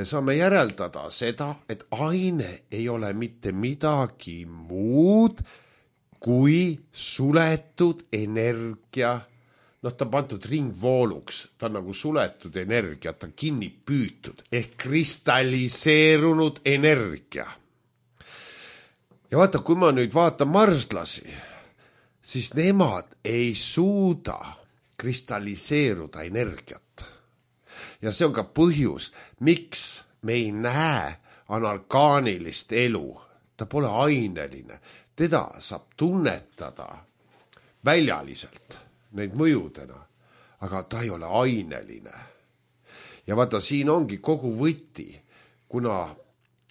Saame järeldada seda, et aine ei ole mitte midagi muud kui suletud energia. Noh, ta on pandud ringvooluks, ta on nagu suletud energia, ta on kinni püütud, ehk kristalliseerunud energia. Ja vaata, kui ma nüüd vaatan marslasi, siis nemad ei suuda kristalliseeruda energiat. Ja see on ka põhjus, miks me ei näe anorgaanilist elu. Ta pole aineline, teda saab tunnetada väljaliselt. Neid mõjudena, aga ta ei ole aineline. Ja vaata, siin ongi kogu võti, kuna,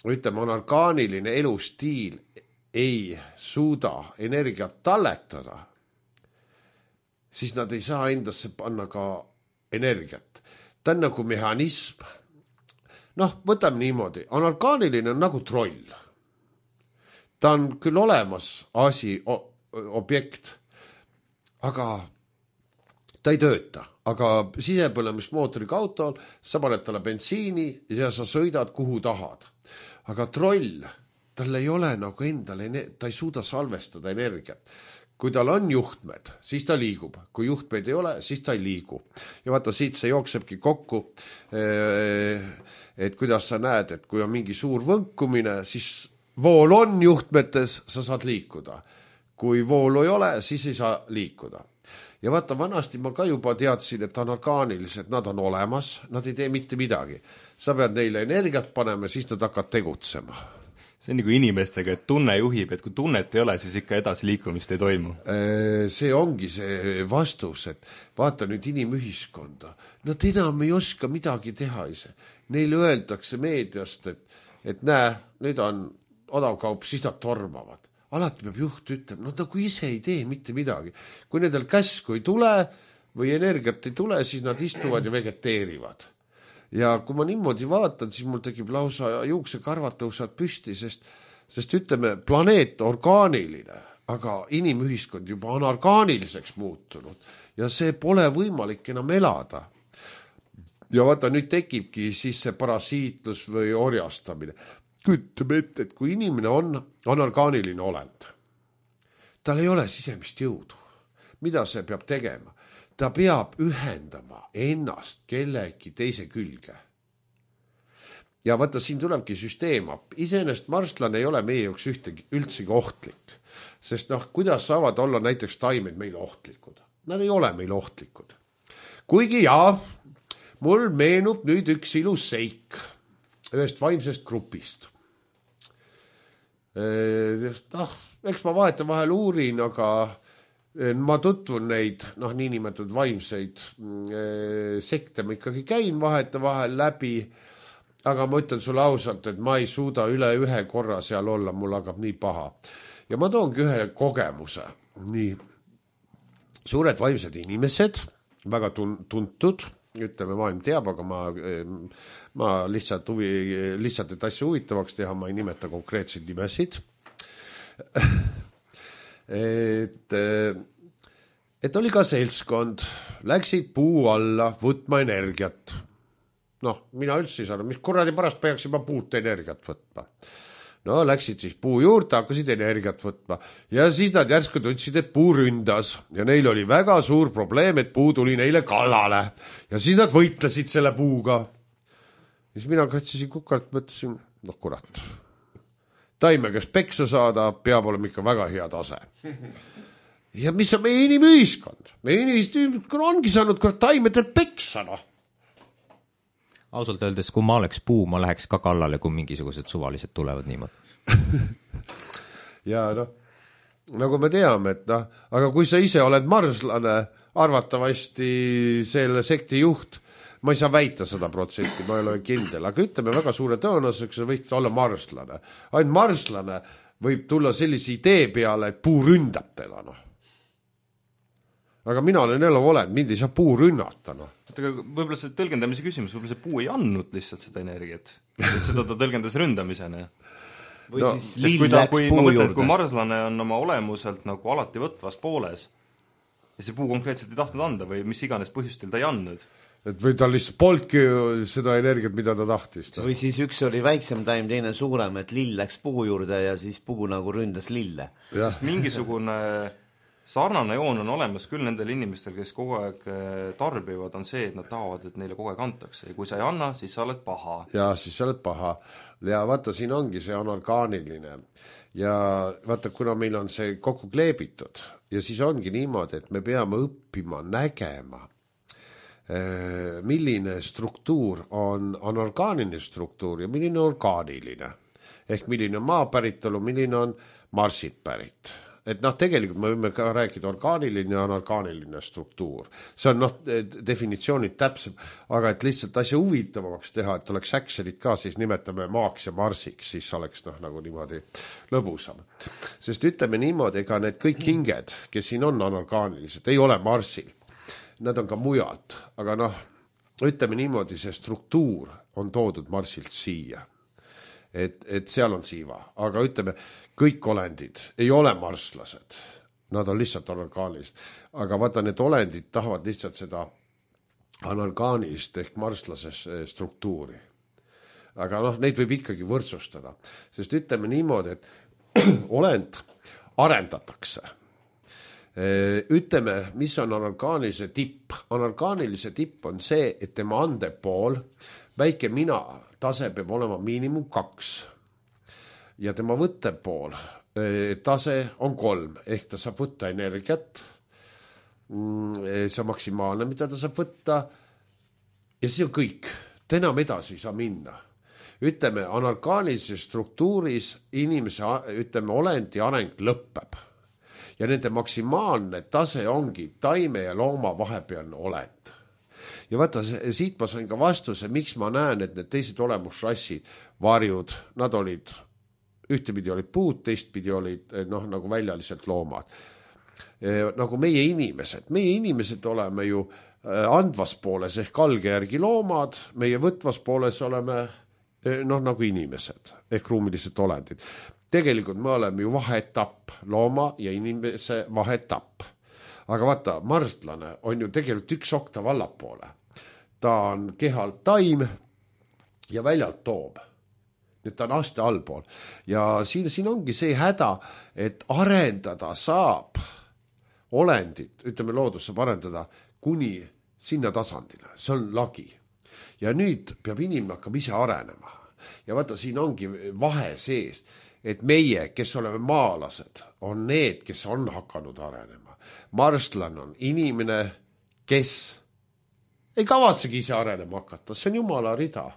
ütleme, anorgaaniline elustiil ei suuda energiat talletada, siis nad ei saa endasse panna ka energiat. Ta on nagu mehhanism. Noh, võtame niimoodi, anorgaaniline on nagu troll. Ta on küll olemas asi, objekt, aga ta ei tööta, aga sisepõlemismootoriga autol sa paned talle bensiini ja sa sõidad kuhu tahad. Aga troll, tal ei ole nagu endale, ta ei suuda salvestada energiat. Kui tal on juhtmed, siis ta liigub. Kui juhtmeid ei ole, siis ta ei liigu. Ja vaata, siit see jooksebki kokku, et kuidas sa näed, et kui on mingi suur võnkumine, siis vool on juhtmetes, sa saad liikuda. Kui voolu ei ole, siis ei saa liikuda. Ja vaata, vanasti ma ka juba teadsin, et anorgaanilised, nad on olemas, nad ei tee mitte midagi. Sa pead neile energiat panema, siis nad hakkavad tegutsema. See on nagu inimestega, et tunne juhib, et kui tunnet ei ole, siis ikka edasi liikumist ei toimu. See ongi see vastus, et vaata nüüd inimühiskonda. Nad enam ei oska midagi teha ise. Neile öeldakse meediast, et, et näe, nüüd on odavkaup, siis nad tormavad. Alati peab juht ütlema, nad nagu ise ei tee mitte midagi. Kui nendel käsku ei tule või energiat ei tule, siis nad istuvad ja vegeteerivad. Ja kui ma niimoodi vaatan, siis mul tekib lausa juuksekarvad tõusvad püsti, sest, sest ütleme, planeet orgaaniline, aga inimühiskond juba on orgaaniliseks muutunud ja see pole võimalik enam elada. Ja vaata, nüüd tekibki siis see parasiitlus või orjastamine. Küttame ette, et kui inimene on anorgaaniline olend, tal ei ole sisemist jõudu. Mida see peab tegema? ta peab ühendama ennast kellegi teise külge. Ja vaata, siin tulebki süsteem appi. Iseenesest marslane ei ole meie jaoks ühtegi, üldsegi ohtlik. Sest noh, kuidas saavad olla näiteks taimed meil ohtlikud? Nad ei ole meil ohtlikud. Kuigi jaa, mul meenub nüüd üks ilus seik ühest vaimsest grupist. Noh, eks ma vahetan vahel uurin, aga ma tutvun neid, noh, niinimetatud vaimseid sekte, ma ikkagi käin vaheta vahel läbi, aga ma ütlen sulle ausalt, et ma ei suuda üle ühe korra seal olla, mul hakkab nii paha. Ja ma toongi ühe kogemuse. Nii suured vaimsed inimesed, väga tuntud, ütleme, maailm teab, aga ma, ma lihtsalt, huvi, lihtsalt et asja huvitavaks teha, ma ei nimeta konkreetseid nimesid. et, et oli ka seltskond, läksid puu alla võtma energiat. Noh, mina üldse ei saanud, mis kuradi pärast peaks juba puut energiat võtma. No, läksid siis puu juurde, hakkasid energiat võtma. Ja siis nad järsku tundsid, et puu ründas. Ja neil oli väga suur probleem, et puu tuli neile kallale. Ja siis nad võitlesid selle puuga. Ja siis mina katsisin kukalt, mõtlesin, no kurat. Taime, kes peksa saada, peab olema ikka väga hea tase. Ja mis on meie inimühiskond? Meie inimühiskond ongi saanud kurat taimedel peksa, noh. Ausalt öeldes, kui ma oleks puu, ma läheks ka kallale, kui mingisugused suvalised tulevad niimoodi. ja noh, nagu me teame, et noh, aga kui sa ise oled marslane, arvatavasti selle sekti juht, ma ei saa väita sada protsenti, ma ei ole kindel, aga ütleme väga suure tõenäosusega, sa võid olla marslane. Ainult marslane võib tulla sellise idee peale, et puu ründab teda, noh. Aga mina olen elu olen, mind ei saa puu rünnata, noh. Aga võib-olla see tõlgendamise küsimus, võib-olla see puu ei andnud lihtsalt seda energiat. Seda ta tõlgendas ründamisena. Või no, siis lill kui, läks kui, puu mõtlen, juurde. Kui marslane on oma olemuselt nagu alati võtvas pooles ja see puu konkreetselt ei tahtnud anda või mis iganes põhjustel ta ei andnud. Et või ta lihtsalt polnudki seda energiat, mida ta tahtis. Või siis üks oli väiksem taim, teine suurem, et lill läks puu juurde ja siis puu nagu ründas lille. Sest mingisugune sarnane joon on olemas küll nendel inimestel, kes kogu aeg tarbivad, on see, et nad tahavad, et neile kogu aeg antakse. Ja kui sa ei anna, siis sa oled paha. Ja siis sa oled paha. Ja vaata, siin ongi see anorgaaniline. Ja vaata, kuna meil on see kokku kleebitud ja siis ongi niimoodi, et me peame õppima nägema, milline struktuur on anorgaaniline struktuur ja milline orgaaniline. Ehk milline on maapäritolu, milline on marsilt pärit. Et noh, tegelikult me võime ka rääkida orgaaniline ja anorgaaniline struktuur. See on noh, definitsioonid täpsem, aga et lihtsalt asja huvitavamaks teha, et oleks Excelit ka, siis nimetame maaks ja marsiks, siis oleks noh, nagu niimoodi lõbusam. Sest ütleme niimoodi, ega need kõik hinged, kes siin on anorgaanilised, ei ole marsilt. Nad on ka mujalt, aga noh, ütleme niimoodi, see struktuur on toodud marsilt siia. Et, et seal on siiva, aga ütleme, kõik olendid ei ole marslased, nad on lihtsalt anorgaanilist, aga vaata, need olendid tahavad lihtsalt seda anorgaanilist ehk marslases struktuuri. Aga noh, neid võib ikkagi võrdsustada, sest ütleme niimoodi, et olend arendatakse. Ütleme, mis on anorgaanilise tipp? Anorgaanilise tipp on see, et tema andepool, väike mina tase peab olema miinimum kaks ja tema võttepool tase on kolm, ehk ta saab võtta energiat, see on maksimaalne, mida ta saab võtta ja see on kõik, ta enam edasi ei saa minna. Ütleme, anorgaanilises struktuuris inimese, ütleme, olendi areng lõpeb ja nende maksimaalne tase ongi taime ja looma vahepealne olend. Ja vaata, siit ma sain ka vastuse, miks ma näen, et need teised olemusrassid, varjud, nad olid, ühtepidi olid puud, teistpidi olid noh, nagu väljaliselt loomad. E, nagu meie inimesed, meie inimesed oleme ju andvas pooles ehk alge järgi loomad, meie võtvas pooles oleme noh, nagu inimesed ehk ruumilised olendid. Tegelikult me oleme ju vaheetapp, looma ja inimese vaheetapp. Aga vaata, marstlane on ju tegelikult üks oktav allapoole. Ta on kehalt taim ja väljalt toob. Nüüd ta on aste allpool. Ja siin, siin ongi see häda, et arendada saab olendit, ütleme loodus saab arendada, kuni sinna tasandile, see on lagi. Ja nüüd peab inimene hakkama ise arenema. Ja vaata, siin ongi vahe sees, et meie, kes oleme maalased, on need, kes on hakanud arenema. Marslan on inimene, kes ei kavatsegi ise arenema hakata, see on jumala rida.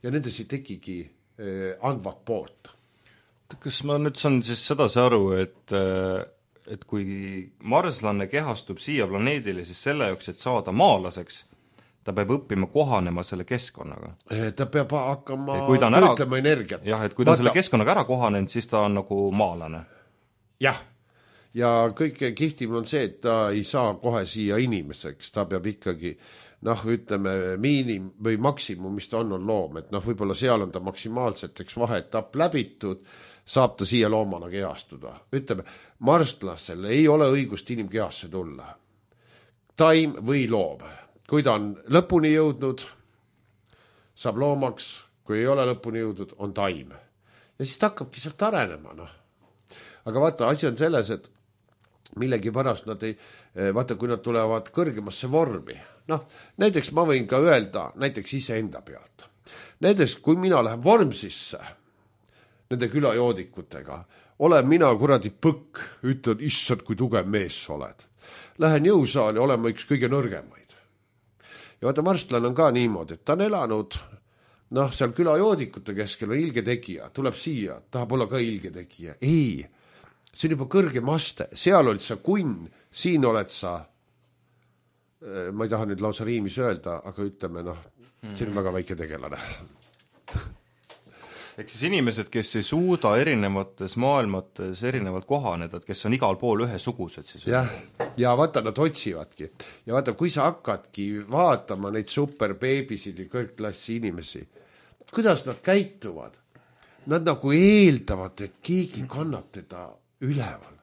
Ja nendes ei tekigi eh, andvat poolt. Kas ma nüüd saan siis sedasi aru, et, et kui marslanne kehastub siia planeedile, siis selle jaoks, et saada maalaseks, ta peab õppima kohanema selle keskkonnaga. Ta peab hakkama töötlema energiat. Jah, et kui ta Vaata. selle keskkonnaga ära kohanenud, siis ta on nagu maalane. Jah, ja kõige kihtim on see, et ta ei saa kohe siia inimeseks, ta peab ikkagi, noh, ütleme, miinim või maksimum, mis ta on, on loom, et noh, võib-olla seal on ta maksimaalselt, eks vaheetapp läbitud, saab ta siia loomana kehastuda. Ütleme, marstlasel ei ole õigust inimkehasse tulla. Taim või loom. Kui ta on lõpuni jõudnud, saab loomaks, kui ei ole lõpuni jõudnud, on taim. Ja siis ta hakkabki sealt arenema, noh. Aga vaata, asi on selles, et millegi pärast nad ei, vaata, kui nad tulevad kõrgemasse vormi. Noh, näiteks ma võin ka öelda, näiteks ise enda pealt. Näiteks, kui mina lähen vormsisse, nende külajoodikutega, olen mina kuradi põkk, ütlen, issad, kui tugev mees sa oled. Lähen jõusaali olema üks kõige nõrgemaid. Ja vaata, marslan on ka niimoodi, et ta on elanud, noh, seal külajoodikute keskel on ilge tegija, tuleb siia, tahab olla ka ilge tegija. Ei, see on juba kõrgem aste, seal olid sa kunn, siin oled sa, ma ei taha nüüd lausa riimis öelda, aga ütleme, noh, see on väga väike tegelane. Ehk siis inimesed, kes ei suuda erinevates maailmates erinevalt kohaneda, kes on igal pool ühesugused siis. Jah, ja vaata, nad otsivadki. Ja vaata, kui sa hakkadki vaatama neid superbeebisid ja kõrgklassi inimesi, kuidas nad käituvad? Nad nagu eeldavad, et keegi kannab teda üleval.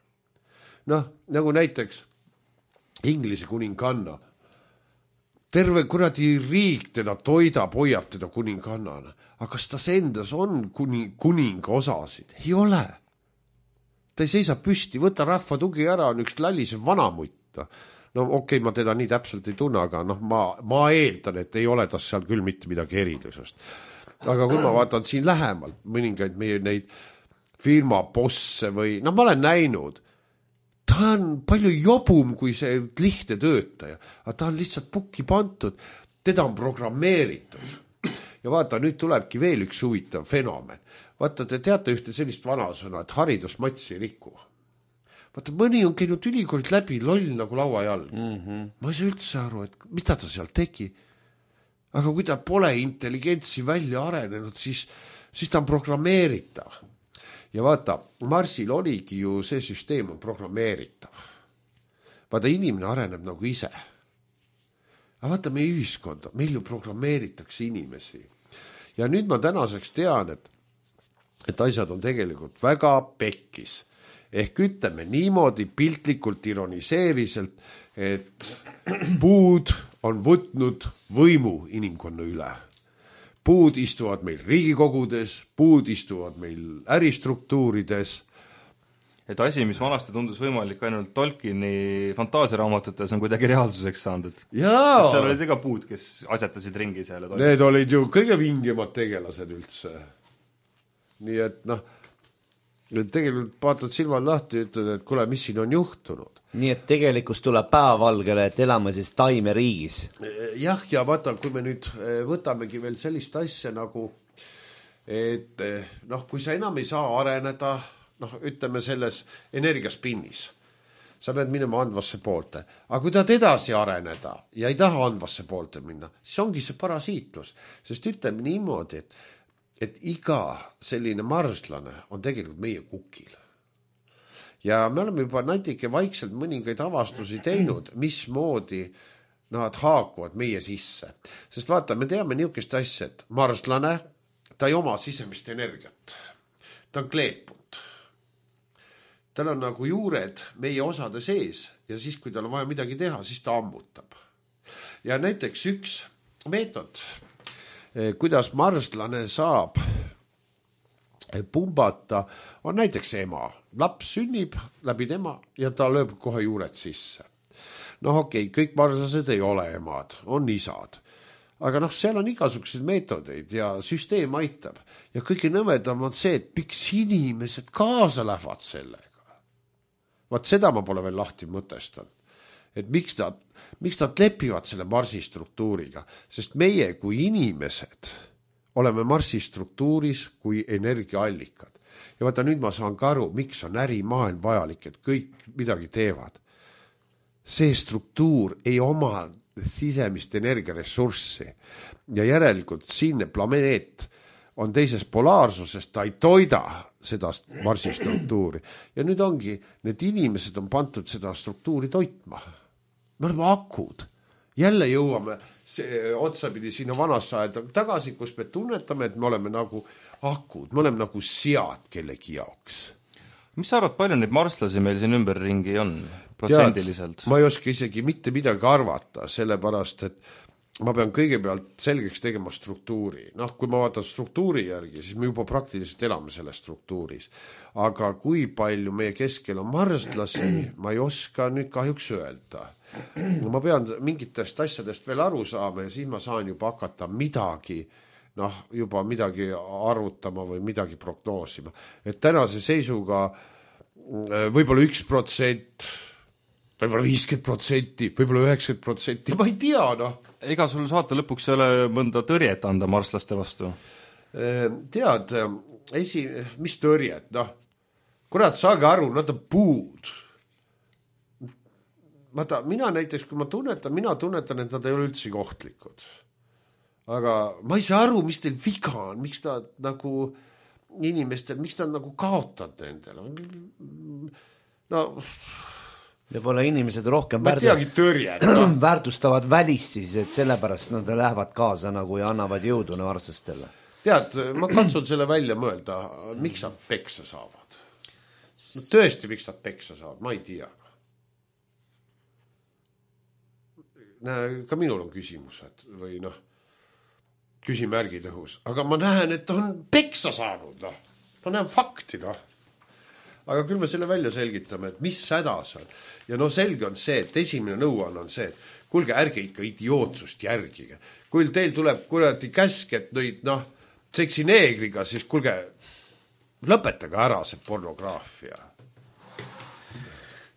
Noh, nagu näiteks Inglise kuninganna. Terve kuradi riik teda toidab, hoiab teda kuningannana. Aga kas ta endas on kuni, kuninga osasid? Ei ole. Ta ei seisa püsti, võta rahva tugi ära, on üks lällisev vanamutt. No okei, okay, ma teda nii täpselt ei tunne, aga noh, ma, ma eeldan, et ei ole tas seal küll mitte midagi erilisust. Aga kui ma vaatan siin lähemalt mõningaid meie neid firma bosse või, noh, ma olen näinud, ta on palju jobum kui see lihtne töötaja, aga ta on lihtsalt pukki pantud, teda on programmeeritud. Ja vaata, nüüd tulebki veel üks huvitav fenomen. Vaata, te teate ühte sellist vanasõna, et haridus matsi ei riku. Vaata, mõni on käinud ülikoolid läbi loll nagu lauajalg. Mm-hmm. Ma ei saa üldse aru, et mida ta seal tegi. Aga kui ta pole intelligentsi välja arenenud, siis, siis ta on programmeeritav. Ja vaata, Marsil oligi ju see süsteem on programmeeritav. Vaata, inimene areneb nagu ise. Aga vaata, meie ühiskonda, meil ju programmeeritakse inimesi. Ja nüüd ma tänaseks tean, et, et asjad on tegelikult väga pekkis. Ehk ütleme niimoodi piltlikult ironiseeriselt, et puud on võtnud võimu inimkonna üle. Puud istuvad meil riigikogudes, puud istuvad meil äristruktuurides. Et asi, mis vanasti tundus võimalik ainult Tolkieni fantaasiaraamatutes, on kuidagi reaalsuseks saanud. Et Jaa. seal olid iga puud, kes asetasid ringi seal. Need olid ju kõige vingemad tegelased üldse. Nii et noh, tegelikult vaatad silmad lahti ja ütled, et kuule, mis siin on juhtunud. Nii et tegelikult tuleb päevavalgele, et elame siis taimeriigis. Jah, ja vaata, kui me nüüd võtamegi veel sellist asja nagu, et noh, kui sa enam ei saa areneda, noh, ütleme selles energiaspinnis. Sa pead minema andvasse poolte. Aga kui tahad edasi areneda ja ei taha andvasse poolte minna, siis ongi see parasiitlus. Sest ütleme niimoodi, et, et iga selline marslane on tegelikult meie kukil. Ja me oleme juba natuke vaikselt mõningaid avastusi teinud, mismoodi nad haakuvad meie sisse. Sest vaata, me teame niisugust asja, et marslane, ta ei oma sisemist energiat. Ta on kleepunud. Tal on nagu juured meie osade sees ja siis, kui tal on vaja midagi teha, siis ta ammutab. Ja näiteks üks meetod, kuidas marslane saab pumbata, on näiteks ema. Laps sünnib läbi tema ja ta lööb kohe juured sisse. noh okei okay,, kõik marslased ei ole emad, on isad. Aga noh, seal on igasuguseid meetodeid ja süsteem aitab. Ja kõige nõmedam on see, et miks inimesed kaasa lähevad sellega. Vaat seda ma pole veel lahti mõtestanud. Et miks nad, miks nad lepivad selle Marsi struktuuriga, sest meie kui inimesed oleme Marsi struktuuris kui energiaallikad. Ja vaata nüüd ma saan ka aru, miks on ärimaailm vajalik, et kõik midagi teevad. See struktuur ei oma sisemist energiaressurssi ja järelikult siinne planeet on teises polaarsuses, ta ei toida seda Marsi struktuuri. Ja nüüd ongi, need inimesed on pandud seda struktuuri toitma. Me oleme akud. Jälle jõuame see otsapidi sinna vanasse aeda tagasi, kus me tunnetame, et me oleme nagu akud, me oleme nagu sead kellegi jaoks. Mis sa arvad, palju neid marslasi meil siin ümberringi on protsendiliselt? Tead, ma ei oska isegi mitte midagi arvata, sellepärast, et ma pean kõigepealt selgeks tegema struktuuri. Noh, kui ma vaatan struktuuri järgi, siis me juba praktiliselt elame selles struktuuris. Aga kui palju meie keskel on marslasi, ma ei oska nüüd kahjuks öelda. Ma pean mingitest asjadest veel aru saama ja siis ma saan juba hakata midagi, noh, juba midagi arvutama või midagi prognoosima. Et tänase seisuga võib-olla üks protsent, võib-olla viiskümmend protsenti, võib-olla üheksakümmend protsenti, ma ei tea, noh. Ega sul saate lõpuks ei ole mõnda tõrjet anda marslaste vastu? Tead, esi, mis tõrjet, noh. Kurat, saage aru, nad on puud. Vaata, mina näiteks, kui ma tunnetan, mina tunnetan, et nad ei ole üldse ohtlikud. Aga ma ei saa aru, mis teil viga on, miks nad nagu inimestel, miks nad nagu kaotad nendele. No, võib-olla inimesed rohkem ma teagi tõrjet, no. väärtustavad välist siis, et sellepärast nad lähevad kaasa nagu ja annavad jõudu varslastele. Tead, ma katsun selle välja mõelda, miks nad peksa saavad. No, tõesti, miks nad peksa saavad, ma ei tea. Ka minul on küsimused või noh, küsimärgid õhus, aga ma näen, et on peksa saanud, noh. Ma näen fakti, noh. Aga küll me selle välja selgitame, et mis hädas on. Ja no selge on see, et esimene nõuanne on see, et kuulge, ärge ikka idiootsust järgige. Kui teil tuleb kuradi käsk, et nüüd, noh, seksineegriga, siis kuulge, lõpetage ära see pornograafia.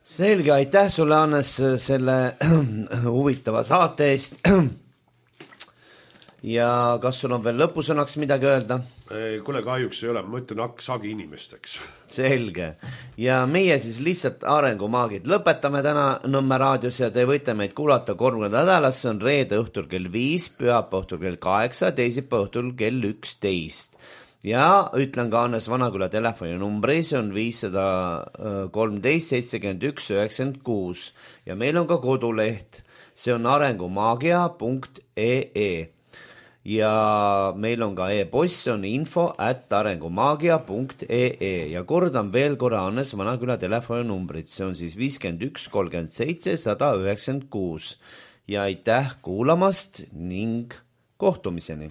Selge, aitäh sulle, Hannes, selle huvitava saate eest. Ja kas sul on veel lõpusõnaks midagi öelda? Kuule, kahjuks ei ole, ma ütlen haksagi inimesteks. Selge. Ja meie siis lihtsalt arengumaagid lõpetame täna Nõmme raadios ja te võite meid kuulata kolm nädalas, see on reede õhtul kell viis, pühapäeva õhtul kell kaheksa, teisipäeva õhtul kell üksteist. Ja ütlen ka Hannes Vanaküla telefoni numbri, see on viissada kolmteist seitsekümmend üks üheksakümmend kuus ja meil on ka koduleht, see on arengumaagia punkt ee ja meil on ka e-post, see on info at arengumaagia punkt ee ja kordan veel korra Hannes Vanaküla telefoni numbrit, see on siis viiskümmend üks kolmkümmend seitse sada üheksakümmend kuus ja aitäh kuulamast ning kohtumiseni!